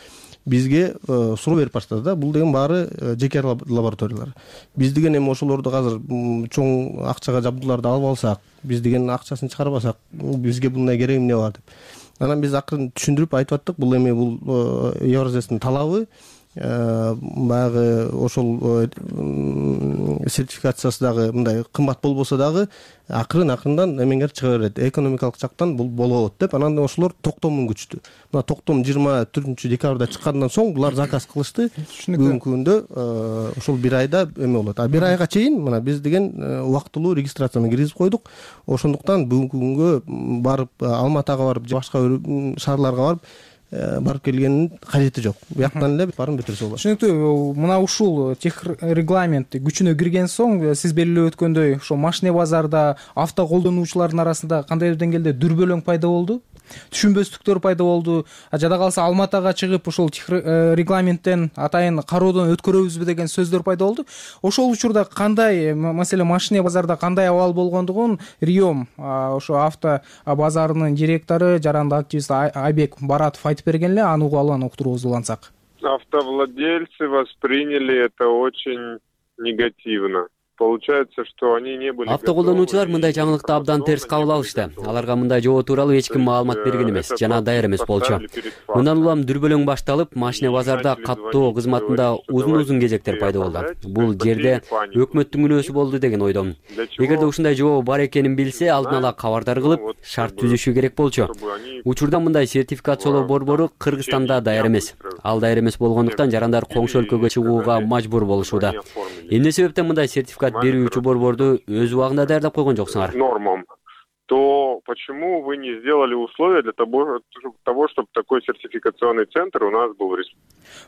бизге суроо берип баштады да. Бул деген баары жеке лабораториялар. Биз деген эми ошолорду азыр чоң акчага жабдууларды алып алсак, биз деген акчасын чыгарбасак, бизге мындай кереги эмне бар деп. Анан биз акырын түшүндүрүп айтып аттык. Бул эми бул Евразиянын талабы. Баягы ошол сертификациясы дагы мындай кымбат болбосо дагы акырындан эмеңер чыга берет. Экономикалык жактан бул болот деп. Анан ошолор токтомун күчтү. Мына токтом 24-декабрда чыккандан соң булар заказ кылышты. Бүгүнкү күндө ошол 1 айда эме болот. 1 айга чейин мына биз деген убактылуу регистрацияны киргизип койдук. Ошондуктан бүгүнкү күнгө барып Алматага барып, башка шаарларга барып келгенин кажети жок. Бияктан эле барын бүтүрсө болот. Түшүнүктүү. Мына ушул тех регламент күчүнө кирген соң сиз белгилеп өткөндөй ошо машина базарда авто колдонуучулардын арасында кандайдыр деңгээлде дүрбөлөң пайда болду, түшүнбөстүктөр пайда болду. Жада калса Алматага чыгып ошол тех регламенттен атайын кароодон өткөрөбүзбү деген сөздөр пайда болду. Ошол учурда кандай, маселен, машина базарда кандай абал болгондугун Риом ошо авто базарынын директору, жарандык активист Айбек Баратов айтып берген эле. Аны угуп алып уктуруубузду улантсак. Автовладельцы восприняли это очень негативно. Получается, что они не были. Автоколдонуучулар мындай жаңылыкты абдан терс кабыл алышты. Аларга мындай жобо тууралуу эч ким маалымат берген эмес жана даяр эмес болчу. Мындан улам дүрбөлөң башталып, машина базарда каттоо кызматында узун кезектер пайда болду. Бул жерде өкмөттүн күнөөсү болду деген ойдомун. Эгерде ушундай жобо бар экенин билсе, алдын ала кабардар кылып, шарт түзүшү керек болчу. Учурда мындай сертификациялоо борбору Кыргызстанда даяр эмес. Ал даяр эмес болгондуктан жарандар коңшу өлкөгө чыгууга мажбур болушууда. Эмне себептен мындай сертификат берүүчү борборду өз убагында даярдап койгон жоксуңар? Нормам. То почему вы не сделали условия для того, чтобы такой сертификационный центр у нас был?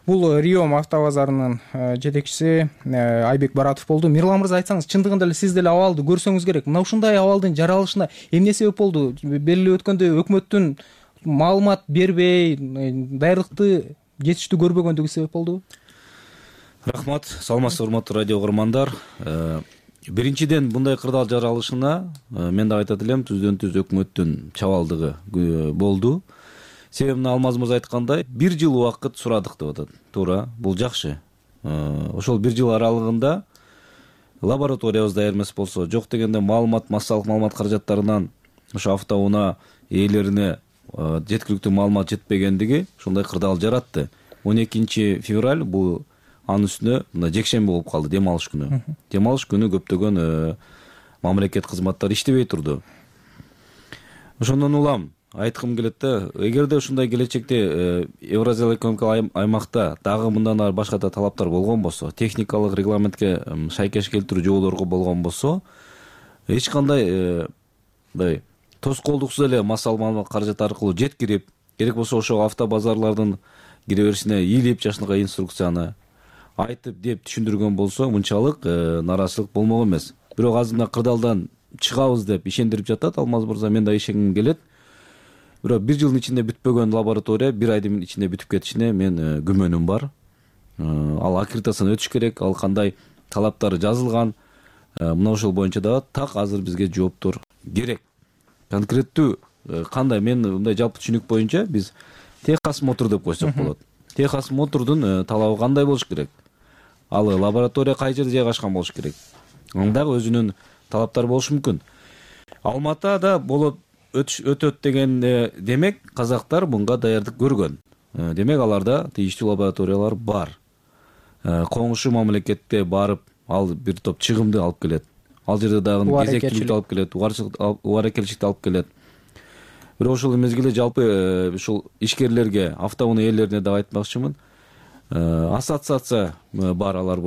Бул Риом автобазарынын жетекчиси Айбек Баратов болду. Мирлан мырза, айтсаңыз, чындыгында эле сиз деле абалды көрсөңүз керек. Мына ушундай абалдын жаралышына эмне себеп болду? Белгилеп өткөндөй өкмөттүн маалымат бербей, даярдыкты жетиштүү көрбөгөндүгү себеп болду. Рахмат, саламатсызбы урматтуу радио угармандар. Биринчиден, мындай кырдаал жаралышына мен да айтат элем, түздөн түз өкмөттүн чабалдыгы болду. Себебин Алмаз мырза айткандай, 1 жыл убакыт сурадык деп атат. Туура, бул жакшы. Ошол 1 жыл аралыгында лабораториябыз даяр эмес болсо, жок дегенде массалык маалымат каражаттарынан ошо автоунаа ээлерине жеткиликтүү маалымат жетпегендиги ушундай кырдаал жаратты. 12 февраль бул анын үстүнө мына жекшемби болуп калды, дем алыш күнү. Дем алыш күнү көптөгөн мамлекет кызматтары иштебей турду. Ошондон улам айткым келет да, эгерде ушундай келечекте Евразиялык экономикалык аймакта дагы мындан ары башка да талаптар болгон болсо, техникалык регламентке шайкеш келтирүү жоболорго болгон болсо, эч кандай мындай тоскоолдуксуз эле массалык маалымат каражаты аркылуу жеткирип, керек болсо ошо автобазарлардын кире беришине ийилип жашынакай инструкцияны айтып деп түшүндүргөн болсо, мынчалык нааразычылык болмок эмес. Бирок азыр мына кырдаалдан чыгабыз деп ишендирип жатат Алмаз мырза, мен да ишенгим келет. Бирок 1 жылдын ичинде бүтпөгөн лаборатория 1 айдын ичинде бүтүп кетишине мен күмөнүм бар. Ал аккредитациядан өтүш керек, ал кандай талаптары жазылган, мына ошол боюнча да так азыр бизге жооптор керек. Конкреттүү кандай, мен мындай жалпы түшүнүк боюнча биз техосмотр деп койсок болот. Техас Мотордун талабы кандай болуш керек, ал лаборатория кай жерде жайгашкан болуш керек, андагы өзүнүн талаптары болушу мүмкүн. Алматада болот өтөт дегенде демек казактар мынга даярдык көргөн. Демек аларда тийиштүү лабораториялар бар. Коңшу мамлекетке барып, ал бир топ чыгымды алып келет. Ал жерде дагы кезектүүлүктү алып келет, убаракелчиликти алып келет. Бирок ошол мезгилде жалпы ушул ишкерлерге, автоунаа ээлерине дагы айтмакчымын. Ассоциация бар, алар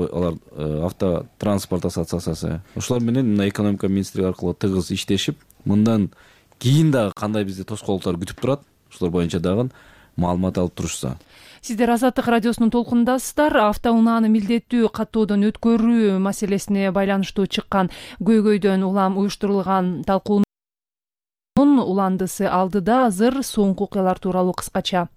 автотранспорт ассоциациясы. Ошолор менен экономика министрлиги аркылуу тыгыз иштешип, мындан кийин дагы кандай бизди тоскоолдуктар күтүп турат, ошолор боюнча дагы маалымат алып турушса. Сиздер Азаттык радиосунун толкунундасыздар. Автоунааны милдеттүү каттоодон өткөрүү маселесине байланыштуу чыккан көйгөйдөн улам уюштурулган талкуунун уландысы алдыда. Азыр соңку окуялар тууралуу кыскача.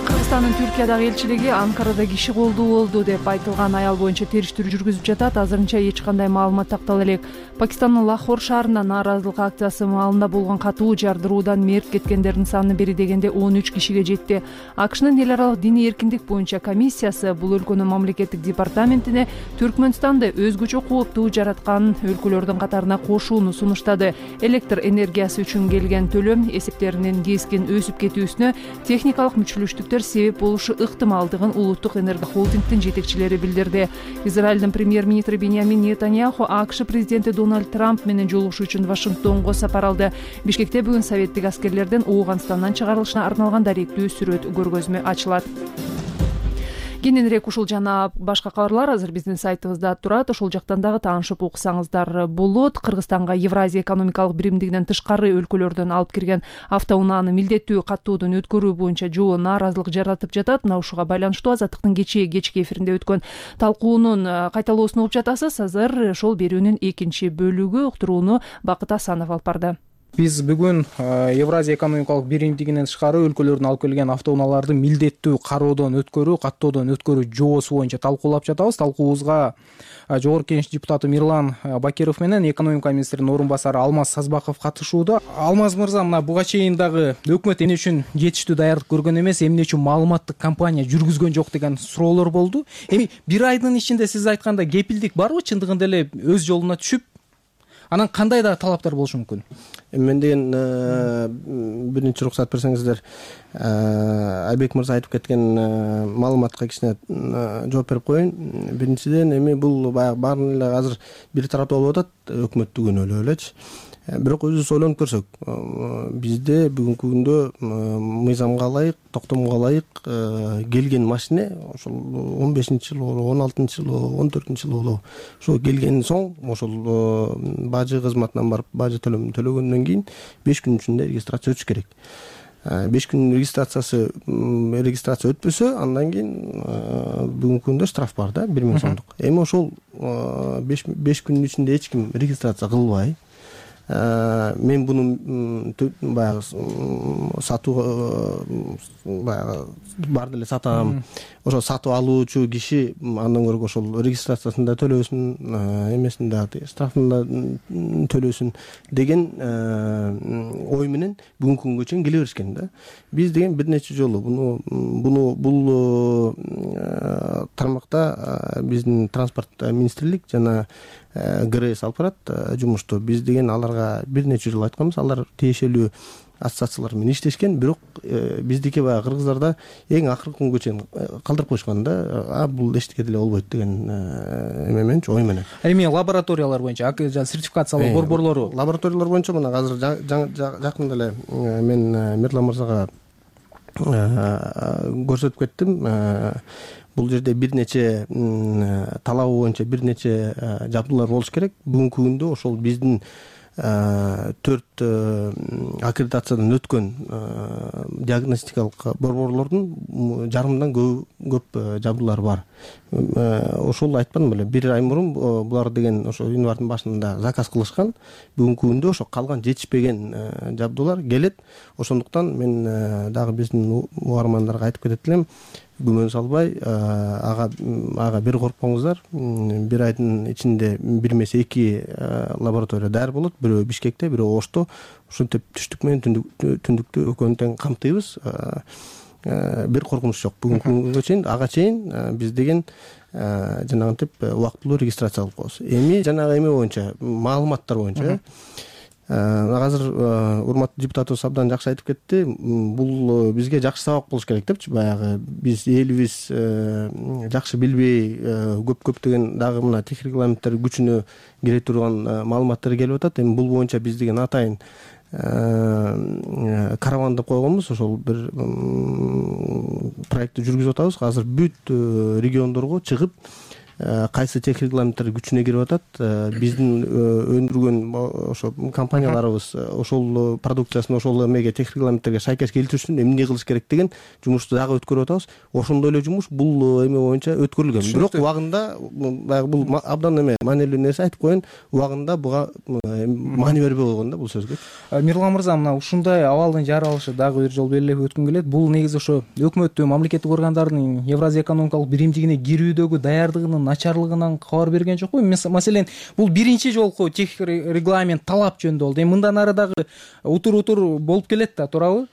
Кыргызстандын Түркиядагы элчилиги Анкарада киши колдуу болду деп айтылган аял боюнча териштирүү жүргүзүп жатат. Азырынча эч кандай маалымат тактала элек. Пакистандын Лахор шаарында нааразылык акциясы маалында болгон катуу жардыруудан мерт кеткендердин саны бери дегенде 13 кишиге жетти. АКШнын эл аралык диний эркиндик боюнча комиссиясы бул өлкөнүн мамлекеттик департаментине Түркмөнстанды өзгөчө кооптуу жараткан өлкөлөрдүн катарына кошууну сунуштады. Электр энергиясы үчүн келген төлөм эсептеринин кескин өсүп кетүүсүнө техникалык мүчүлүштүктөр себеп болушу ыктымалдыгын улуттук энерго холдингдин жетекчилери билдирди. Израилдин премьер-министри Беньямин Нетаньяху АКШ президенти Дональд Трамп менен жолугушуу үчүн Вашингтонго сапар алды. Бишкекте бүгүн советтик аскерлердин Ооганстандан чыгарылышына арналган даректүү сүрөт көргөзмө ачылат. Кененирээк ушул жана башка кабарлар азыр биздин сайтыбызда турат. Ошол жактан дагы таанышып уксаңыздар болот. Кыргызстанга Евразия экономикалык биримдигинен тышкары өлкөлөрдөн алып кирген автоунааны милдеттүү каттоодон өткөрүү боюнча жоо нааразылык жаратып жатат. Мына ушуга байланыштуу Азаттыктын кечки эфиринде өткөн талкуунун кайталоосун угуп жатасыз. Азыр ошол берүүнүн экинчи бөлүгү. Уктурууну Бакыт Асанов алып барды. Биз бүгүн Евразия экономикалык биримдигинен тышкары өлкөлөрдөн алып келген автоунааларды милдеттүү кароодон өткөрүү, каттоодон өткөрүү жоосу боюнча талкуулап жатабыз. Талкуубузга Жогорку Кеңеш депутаты Мирлан Бакиров менен экономика министринин орун басары Алмаз Сазбаков катышууда. Алмаз мырза, мына буга чейин дагы өкмөт эмне үчүн жетиштүү даярдык көргөн эмес, эмне үчүн маалыматтык кампания жүргүзгөн жок деген суроолор болду. Эми бир айдын ичинде сиз айткандай кепилдик барбы, чындыгында эле өз жолуна түшүп, анан кандай да талаптар болушу мүмкүн? Мен деген биринчи уруксат берсеңиздер, Айбек мырза айтып кеткен маалыматка кичине жооп берип коеюн. Биринчиден, эми бул баягы баарын эле азыр бир тараптуу болуп атат, өкмөттү күнөөлөп элечи. Бирок өзүбүз ойлонуп көрсөк, бизде бүгүнкү күндө мыйзамга ылайык, токтомго ылайык келген машине ошол 15-жылы болобу, 16-жылы, 14-жылы болобу, ошо келген соң ошол бажы кызматынан барып бажы төлөмүн төлөгөндөн кийин 5 күн ичинде регистрация өтүш керек. 5 күн регистрация өтпөсө, андан кийин бүгүнкү күндө штраф бар да, 1000 сомдук. Эми ошол 5 күнүн ичинде эч ким регистрация кылбай, мен буну баягы сатуу баягы барды эле сатам, ошо сатып алуучу киши андан көрө ошол регистрациясын да төлөсүн, эмесин да, штрафын да төлөсүн деген ой менен бүгүнкү күнгө чейин келе беришкен да. Биз деген бир нече жолу бул тармакта биздин транспорт министрлик жана ГРС алып барат жумушту. Биз деген аларга бир нече жолу айтканбыз, алар тиешелүү ассоциациялар менен иштешкен, бирок биздики баягы кыргыздарда эң акыркы күнгө чейин калтырып коюшкан да, бул эчтеке деле болбойт деген эме менен, ой менен. Эми лабораториялар боюнча, сертификациялоо борборлору, лабораториялар боюнча мына азыр жакында эле мен Мирлан мырзага көрсөтүп кеттим. Бул жерде бир нече талабы боюнча бир нече жабдуулар болуш керек. Бүгүнкү күндө ошол биздин 4 аккредитациядан өткөн диагностикалык борборлордун жарымдан көп жабдуулары бар. Ошол айтпадым беле, бир ай мурун булар деген ошо январдын башында заказ кылышкан. Бүгүнкү күндө ошо калган жетишпеген жабдуулар келет. Ошондуктан мен дагы биздин угармандарга айтып кетет элем, күмөн салбай, ага бир коркпоңуздар. Бир айдын ичинде бир эмес 2 лаборатория даяр болот. Бирөө Бишкекте, бирөө Ошто. Ушинтип түштүк менен түндүктү экөөнү тең камтыйбыз. бир коркунуч жок. Бүгүнкү күнгө чейин ага чейин биз деген жанагынтип убактылуу регистрация кылып коебуз. Эми жанагы эме боюнча, маалыматтар боюнча азыр урматтуу депутатыбыз абдан жакшы айтып кетти. Бул бизге жакшы сабак болуш керек депчи. Баягы биз элибиз жакшы билбей көптөгөн дагы мына техник регламенттер күчүнө кире турган маалыматтар келип атат. Эми бул боюнча биз деген атайын караван деп койгонбуз. Ошол бир проектти жүргүзүп атабыз. Азыр бүт региондорго чыгып кайсы техник регламенттер күчүнө кирип атат, биздин өндүргөн ошо компанияларыбыз ошол продукциясын ошол эмеге техник регламенттерге шайкеш келтиришин эмне кылыш керек деген жумушту дагы өткөрүп атабыз. Ошондой эле жумуш бул эме боюнча өткөрүлгөн. Бирок убагында баягы бул абдан эме маанилүү нерсе айтып коеюн, убагында буга маани бербей койгон да бул сөзгө. Мирлан мырза, мына ушундай абалдын жаралышы дагы бир жолу белгилеп өткүм келет. Бул негизи ошо өкмөттүн, мамлекеттик органдардын Евразия экономикалык биримдигине кирүүдөгү даярдыгынын начарлыгынан кабар берген жокпу? Маселен, бул биринчи жолку техник регламент талап жөнүндө болду. Эми мындан ары дагы утур болуп келет да, туурабы?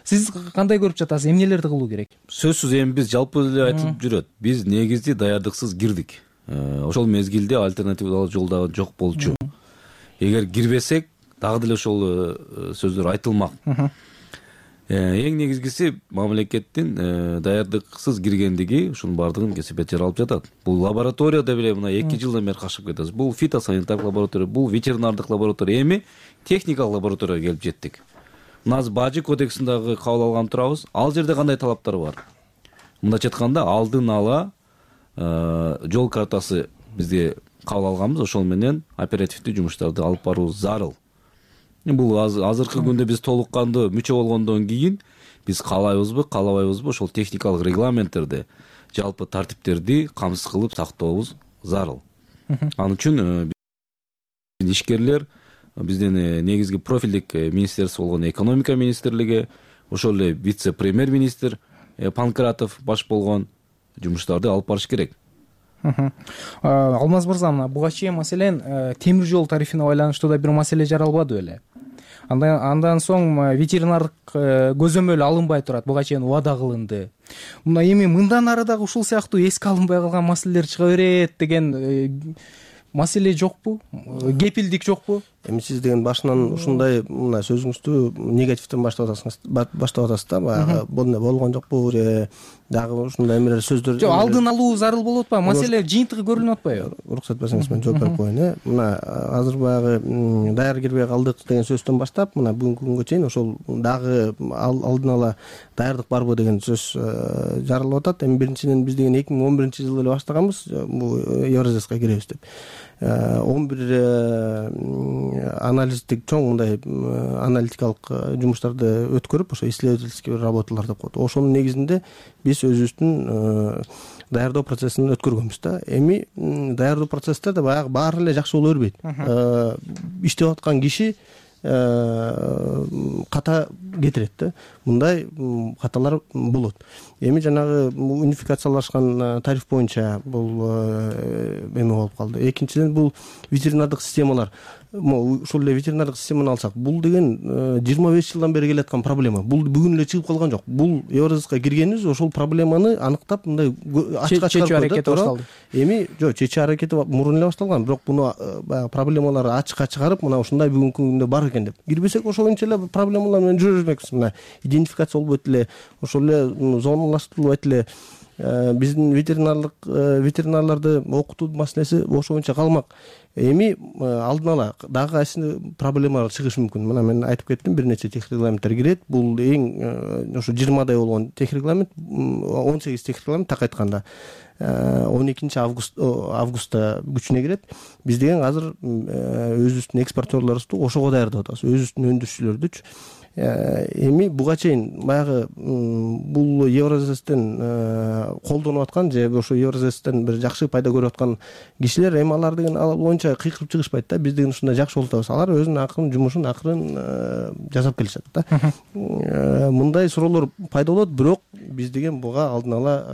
Сиз кандай көрүп жатасыз? Эмнелерди кылуу керек? Сөзсүз эми биз жалпы эле айтылып жүрөт. Биз негизи даярдыксыз кирдик. Ошол мезгилде альтернативалуу жол дагы жок болчу. Эгер кирбесек, дагы деле ошол сөздөр айтылмак. Эң негизгиси мамлекеттин даярдыксыз киргендиги, ушунун баардыгын кесепет жаралып жатат. Бул лабораторияда беле мына 2 жылдан бери кашып кетебиз. Бул фитосанитардык лаборатория, бул ветеринардык лаборатория, эми техникалык лабораторияга келип жеттик. Мына Бажы кодексин дагы кабыл алган турабыз. Ал жерде кандай талаптар бар? Мындайча айтканда, алдын ала жол картасы бизге кабыл алганбыз, ошол менен оперативдүү жумуштарды алып баруу зарыл. Бул азыркы күндө биз толук кандуу мүчө болгондон кийин биз каалайбызбы, каалабайбызбы, ошол техникалык регламенттерди, жалпы тартиптерди камсыз кылып сактообуз зарыл. Ал үчүн ишкерлер биздин негизги профилдик министерство болгон экономика министрлиги, ошол эле вице-премьер-министр Панкратов баш болгон жумуштарды алып барыш керек. Алмаз мырза, мына буга чейин маселен темир жол тарифине байланыштуу да бир маселе жаралбады беле? Андан соң ветеринардык көзөмөл алынбай турат, буга чейин убада кылынды. Мына эми мындан ары дагы ушул сыяктуу эске алынбай калган маселелер чыга берет деген маселе жокпу? Кепилдик жокпу? Эми сиз деген башынан ушундай мына сөзүңүздү негативден баштап атасыз да. Баягы бул болгон жокпу же дагы ушундай эмелер сөздөр. Жок, алдын алуу зарыл болуп атпайбы? Маселе жыйынтыгы көрүнүп атпайбы? Уруксат берсеңиз мен жооп берип коеюн. Мына азыр баягы даяр кирбей калдык деген сөздөн баштап мына бүгүнкү күнгө чейин ошол дагы алдын ала даярдык барбы деген сөз жаралып атат. Эми биринчиден биз деген 2011-жылы эле баштаганбыз бул Евразияга киребиз деп. 11 анализдик чоң мындай аналитикалык жумуштарды өткөрүп, ошо исследовательский работалар деп коет. Ошонун негизинде биз өзүбүздүн даярдоо процессин өткөргөнбүз да. Эми даярдоо процесстерде баягы баары эле жакшы боло бербейт. Иштеп аткан киши ката кетирет да. Мындай каталар болот. Эми жанагы унификациялашкан тариф боюнча бул эме болуп калды. Экинчиден бул ветеринардык системалар. Ушул эле ветеринардык системаны алсак, бул деген 25 жылдан бери келаткан проблема. Бул бүгүн эле чыгып калган жок. Бул Евразияга киргенибиз ошол проблеманы аныктап мындай ачыкка чыгарып аракети башталды. Эми жок, чечүү аракети мурун эле башталган, бирок буну баягы проблемаларды ачыкка чыгарып, мына ушундай бүгүнкү күндө бар экен деп. Кирбесек ошончо эле проблемалар менен жүрө бермекпиз. Мына идентификация болбойт эле, ошол эле зоналаштырылбайт эле. Биздин ветеринарларды окутуу маселеси ошончо калмак. Эми алдын ала дагы кайсы проблемалар чыгышы мүмкүн. Мына мен айтып кеттим, бир нече техник регламенттер кирет. Бул эң ошо 20дай болгон техник регламент, 18 техник регламент так айтканда 12 августта күчүнө кирет. Биз деген азыр өзүбүздүн экспортерлорубузду ошого даярдап атабыз, өзүбүздүн өндүрүүчүлөрдүчү. Эми буга чейин баягы бул Евразиястан колдонуп аткан же ошо Евразиястан бир жакшы пайда көрүп аткан кишилер эми алар деген боюнча кыйкырып чыгышпайт да. Биз деген ушундай жакшы болуп атабыз. Алар өзүнүн акырын жумушун жасап келишет да. Мындай суроолор пайда болот, бирок биз деген буга алдын ала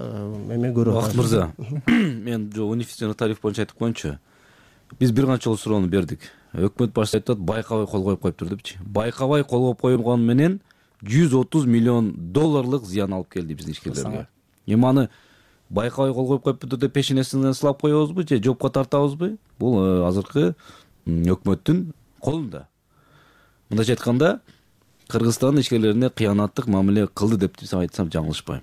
эме көрүп атабыз. Бакыт мырза, мен унифицированный тариф боюнча айтып коеюнчу. Биз бир канча жолу суроону бердик. Өкмөт башчысы айтат, байкабай кол коюп коюптур депчи. Байкабай кол коюп койгон менен $130 миллион зыян алып келди биздин ишкерлерге. Эми аны байкабай кол коюп коюп бүтүп пешенесинен сылап коебузбу же жоопко тартабызбы? Бул азыркы өкмөттүн колунда. Мындайча айтканда, Кыргызстандын ишкерлерине кыянаттык мамиле кылды деп айтсам жаңылышпайм.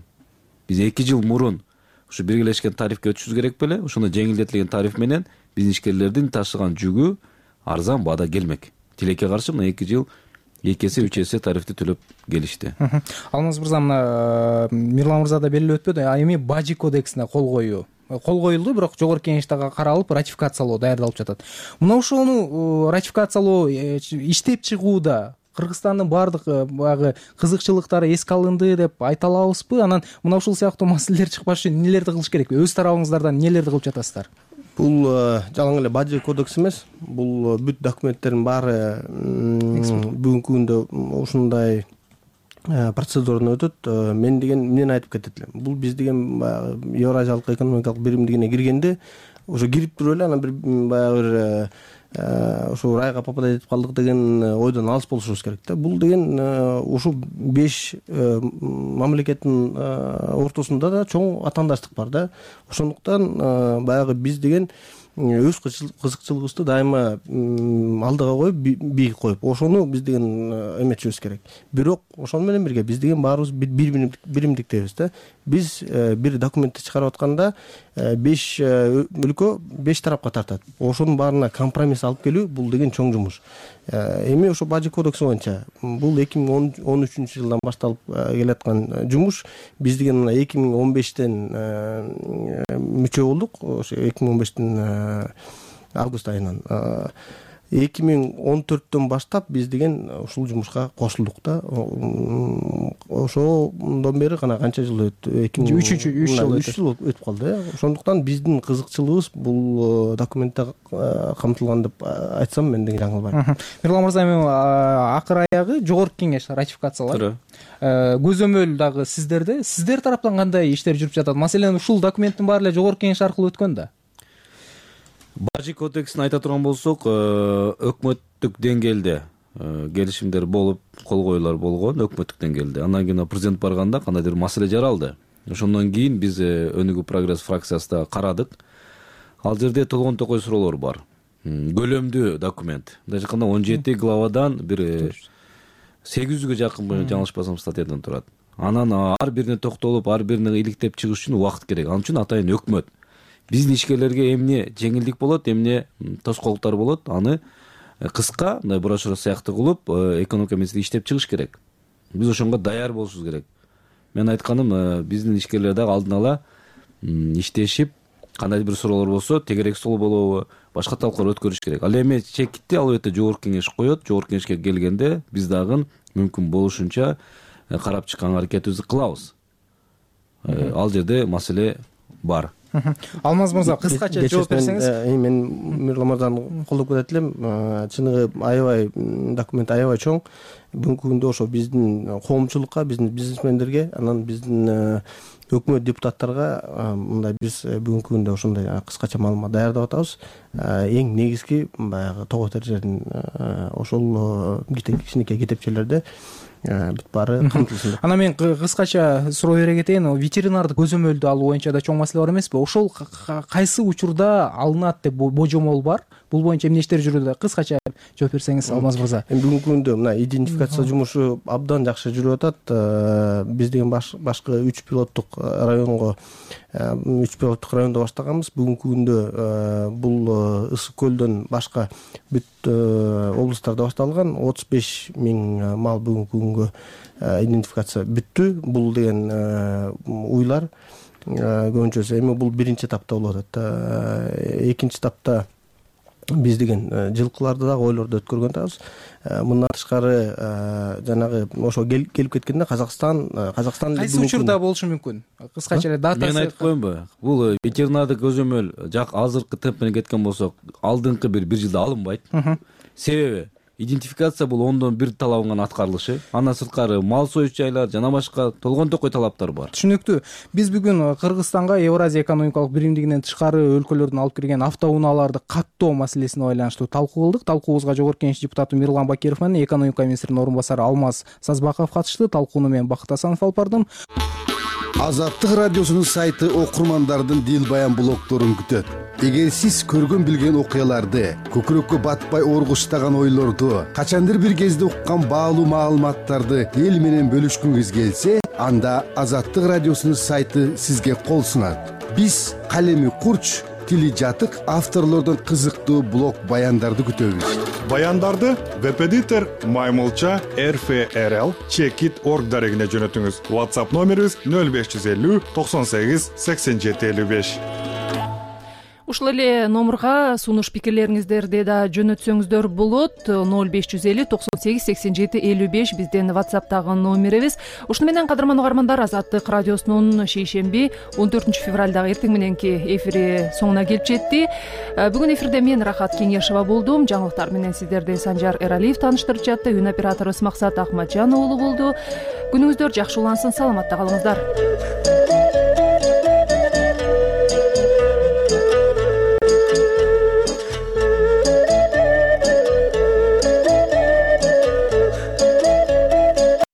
Биз 2 жыл мурун ушу биргелешкен тарифке өтүшүбүз керек беле? Ошондо жеңилдетилген тариф менен биздин ишкерлердин ташыган жүгү арзан баада келмек. Тилекке каршы мына 2 жыл 2 эсе 3 эсе тарифти төлөп келишти. Алмаз мырза, мына Мирлан мырза да белгилеп өтпөдү, эми Бажи кодексине кол коюлду, бирок жогорку кеңеште каралып ратификациялоо даярдалып жатат. Мына ошону ратификациялоо иштеп чыгууда Кыргызстандын баардык баягы кызыкчылыктары эске алынды деп айта алабызбы? Анан мына ушул сыяктуу маселелер чыкпаш үчүн эмнелерди кылыш керек? Өз тарабыңыздардан эмнелерди кылып жатасыздар? Бул жалаң эле Бажи кодекс эмес. Бул бүт документтердин баары бүгүнкү күндө ушундай процедурадан өтөт. Мен деген эмнени айтып кетет элем? Бул биз деген Евразиялык экономикалык биримдигине киргенде уже кирип туруп эле анан бир баягы ушу райга попадать этип калдык деген ойдон алыс болушубуз керек да. Бул деген ушу 5 мамлекеттин ортосунда да чоң атаандаштык бар да. Ошондуктан баягы биз деген өз кызыкчылыгыбызды дайыма алдыга коюп, бийик коюп, ошону биз деген эметишибиз керек. Бирок ошону менен бирге биз деген баарыбыз биримдиктебиз да. Биз бир документти чыгарып атканда 5 өлкө 5 тарапка тартат. Ошонун баарына компромисс алып келүү бул деген чоң жумуш. Эми ошо Бажи кодекси боюнча бул 2013-жылдан башталып келаткан жумуш. Биз деген 2015-тен мүчө болдук. Ошо 2015-тин август айынан 2014-төн баштап биз деген ушул жумушка кошулдук да. Ошондон бери гана канча жыл өттү? 3 жыл өтүп калды. Ошондуктан биздин кызыкчылыгыбыз бул документте камтылган деп айтсам мен деген жаңылбайм. Мирлан мырза, эми акыр аягы жогорку кеңеш ратификациялап көзөмөл дагы сиздер тараптан кандай иштер жүрүп жатат? Маселен, ушул документтин баары эле жогорку кеңеш аркылуу өткөн да. Бажи кодексин айта турган болсок, өкмөттүк деңгээлде келишимдер болуп, кол коюулар болгон өкмөттүк деңгээлде. Андан кийин президент барганда кандайдыр маселе жаралды. Ошондон кийин биз Өнүгүү прогресс фракциясында карадык. Ал жерде толгон токой суроолор бар. Көлөмдүү документ. Мындайча айтканда 17 главадан бир 800гө жакын, жаңылышпасам, статьядан турат. Анан ар бирине токтолуп, ар бирине иликтеп чыгыш үчүн убакыт керек. Ал үчүн атайын өкмөт биздин ишкерлерге эмне жеңилдик болот, эмне тоскоолдуктар болот, аны кыска мындай брошюра сыяктуу кылып, экономика министри иштеп чыгыш керек. Биз ошонго даяр болушубуз керек. Мен айтканым, биздин ишкерлер дагы алдын ала иштешип, кандайдыр бир суроолор болсо, тегерек стол болобу, башка талкуулар өткөрүш керек. Ал эми чекитти албетте жогорку кеңеш коет. Жогорку кеңешке келгенде биз дагы мүмкүн болушунча карап чыккан аракетибизди кылабыз. Ал жерде маселе бар. Алмаз мырза, кыскача жооп берсеңиз. Мен Мирлан мырзаны колдоп кетет элем. Чыныгы аябай документ аябай чоң. Бүгүнкү күндө ошо биздин коомчулукка, биздин бизнесмендерге, анан биздин өкмөт депутаттарга мындай биз бүгүнкү күндө ошондой кыскача маалымат даярдап атабыз. Эң негизги баягы тоо тержердин ошол кичинекей китепчелерде бүт баары камтылсын. Анан мен кыскача суроо бере кетейин. Ветеринардык көзөмөлдү алуу боюнча да чоң маселе бар эмеспи? Ошол кайсы учурда алынат деп божомол бар? Бул боюнча эмне иштер жүрүүдө? Кыскача жооп берсеңиз, Алмаз мырза. Бүгүнкү күндө мына идентификация жумушу абдан жакшы жүрүп атат. Биз деген башкы 3 пилоттук районго 3 пилоттук райондо баштаганбыз. Бүгүнкү күндө бул Ысык көлдөн башка бүт облустарда башталган. 35 000 мал бүгүнкү күнгө идентификация бүттү. Бул деген уйлар көбүнчөсү эми бул биринчи этапта болуп атат. Экинчи этапта биз деген жылкыларды дагы ойлорду өткөргөн атабыз. Мындан тышкары жанагы ошо келип кеткенде Казакстан кайсы учурда болушу мүмкүн? Кыскача эле датасы. Мен айтып коеюнбу? Бул ветеринардык көзөмөл азыркы темп менен кеткен болсок, алдыңкы бир жылда алынбайт. Себеби идентификация бул ондон бир талабын гана аткарылышы, андан сырткары мал союш жайлар жана башка толгон токой талаптар бар. Түшүнүктүү. Биз бүгүн Кыргызстанга Евразия экономикалык биримдигинен тышкары өлкөлөрдөн алып кирген автоунааларды каттоо маселесине байланыштуу талкуу кылдык. Талкуубузга Жогорку Кеңеш депутаты Мирлан Бакиров менен экономика министринин орун басары Алмаз Сазбаков катышты. Талкууну мен Бакыт Асанов алып бардым. Азаттык радиосунун сайты окурмандардын дил баян блогдорун күтөт. Эгер сиз көргөн билген окуяларды, көкүрөккө батпай оргуштаган ойлорду, качандыр бир кезде уккан баалуу маалыматтарды эл менен бөлүшкүңүз келсе, анда Азаттык радиосунун сайты сизге кол сунат. Биз калеми курч, тили жатык авторлордон кызыктуу блог баяндарды күтөбүз. Баяндарды веб-эдитор Маймылча RFRL Checkit.org дарегине жөнөтүңүз. WhatsApp номерибиз 0550 98 87 55. Ушул эле номурга сунуш пикирлериңиздерди да жөнөтсөңүздөр болот. 0550 98 87 55 биздин WhatsApp'тагы номерибиз. Ушуну менен кадырман угармандар, Азаттык радиосунун шейшемби 14 февралдагы эртең мененки эфири соңуна келип жетти. Бүгүн эфирде мен Рахат Кеңешова болдум. Жаңылыктар менен сиздерди Санжар Эралиев тааныштырып жатты. Үн операторубуз Максат Ахматжан уулу болду. Күнүңүздөр жакшы улансын, саламатта калыңыздар.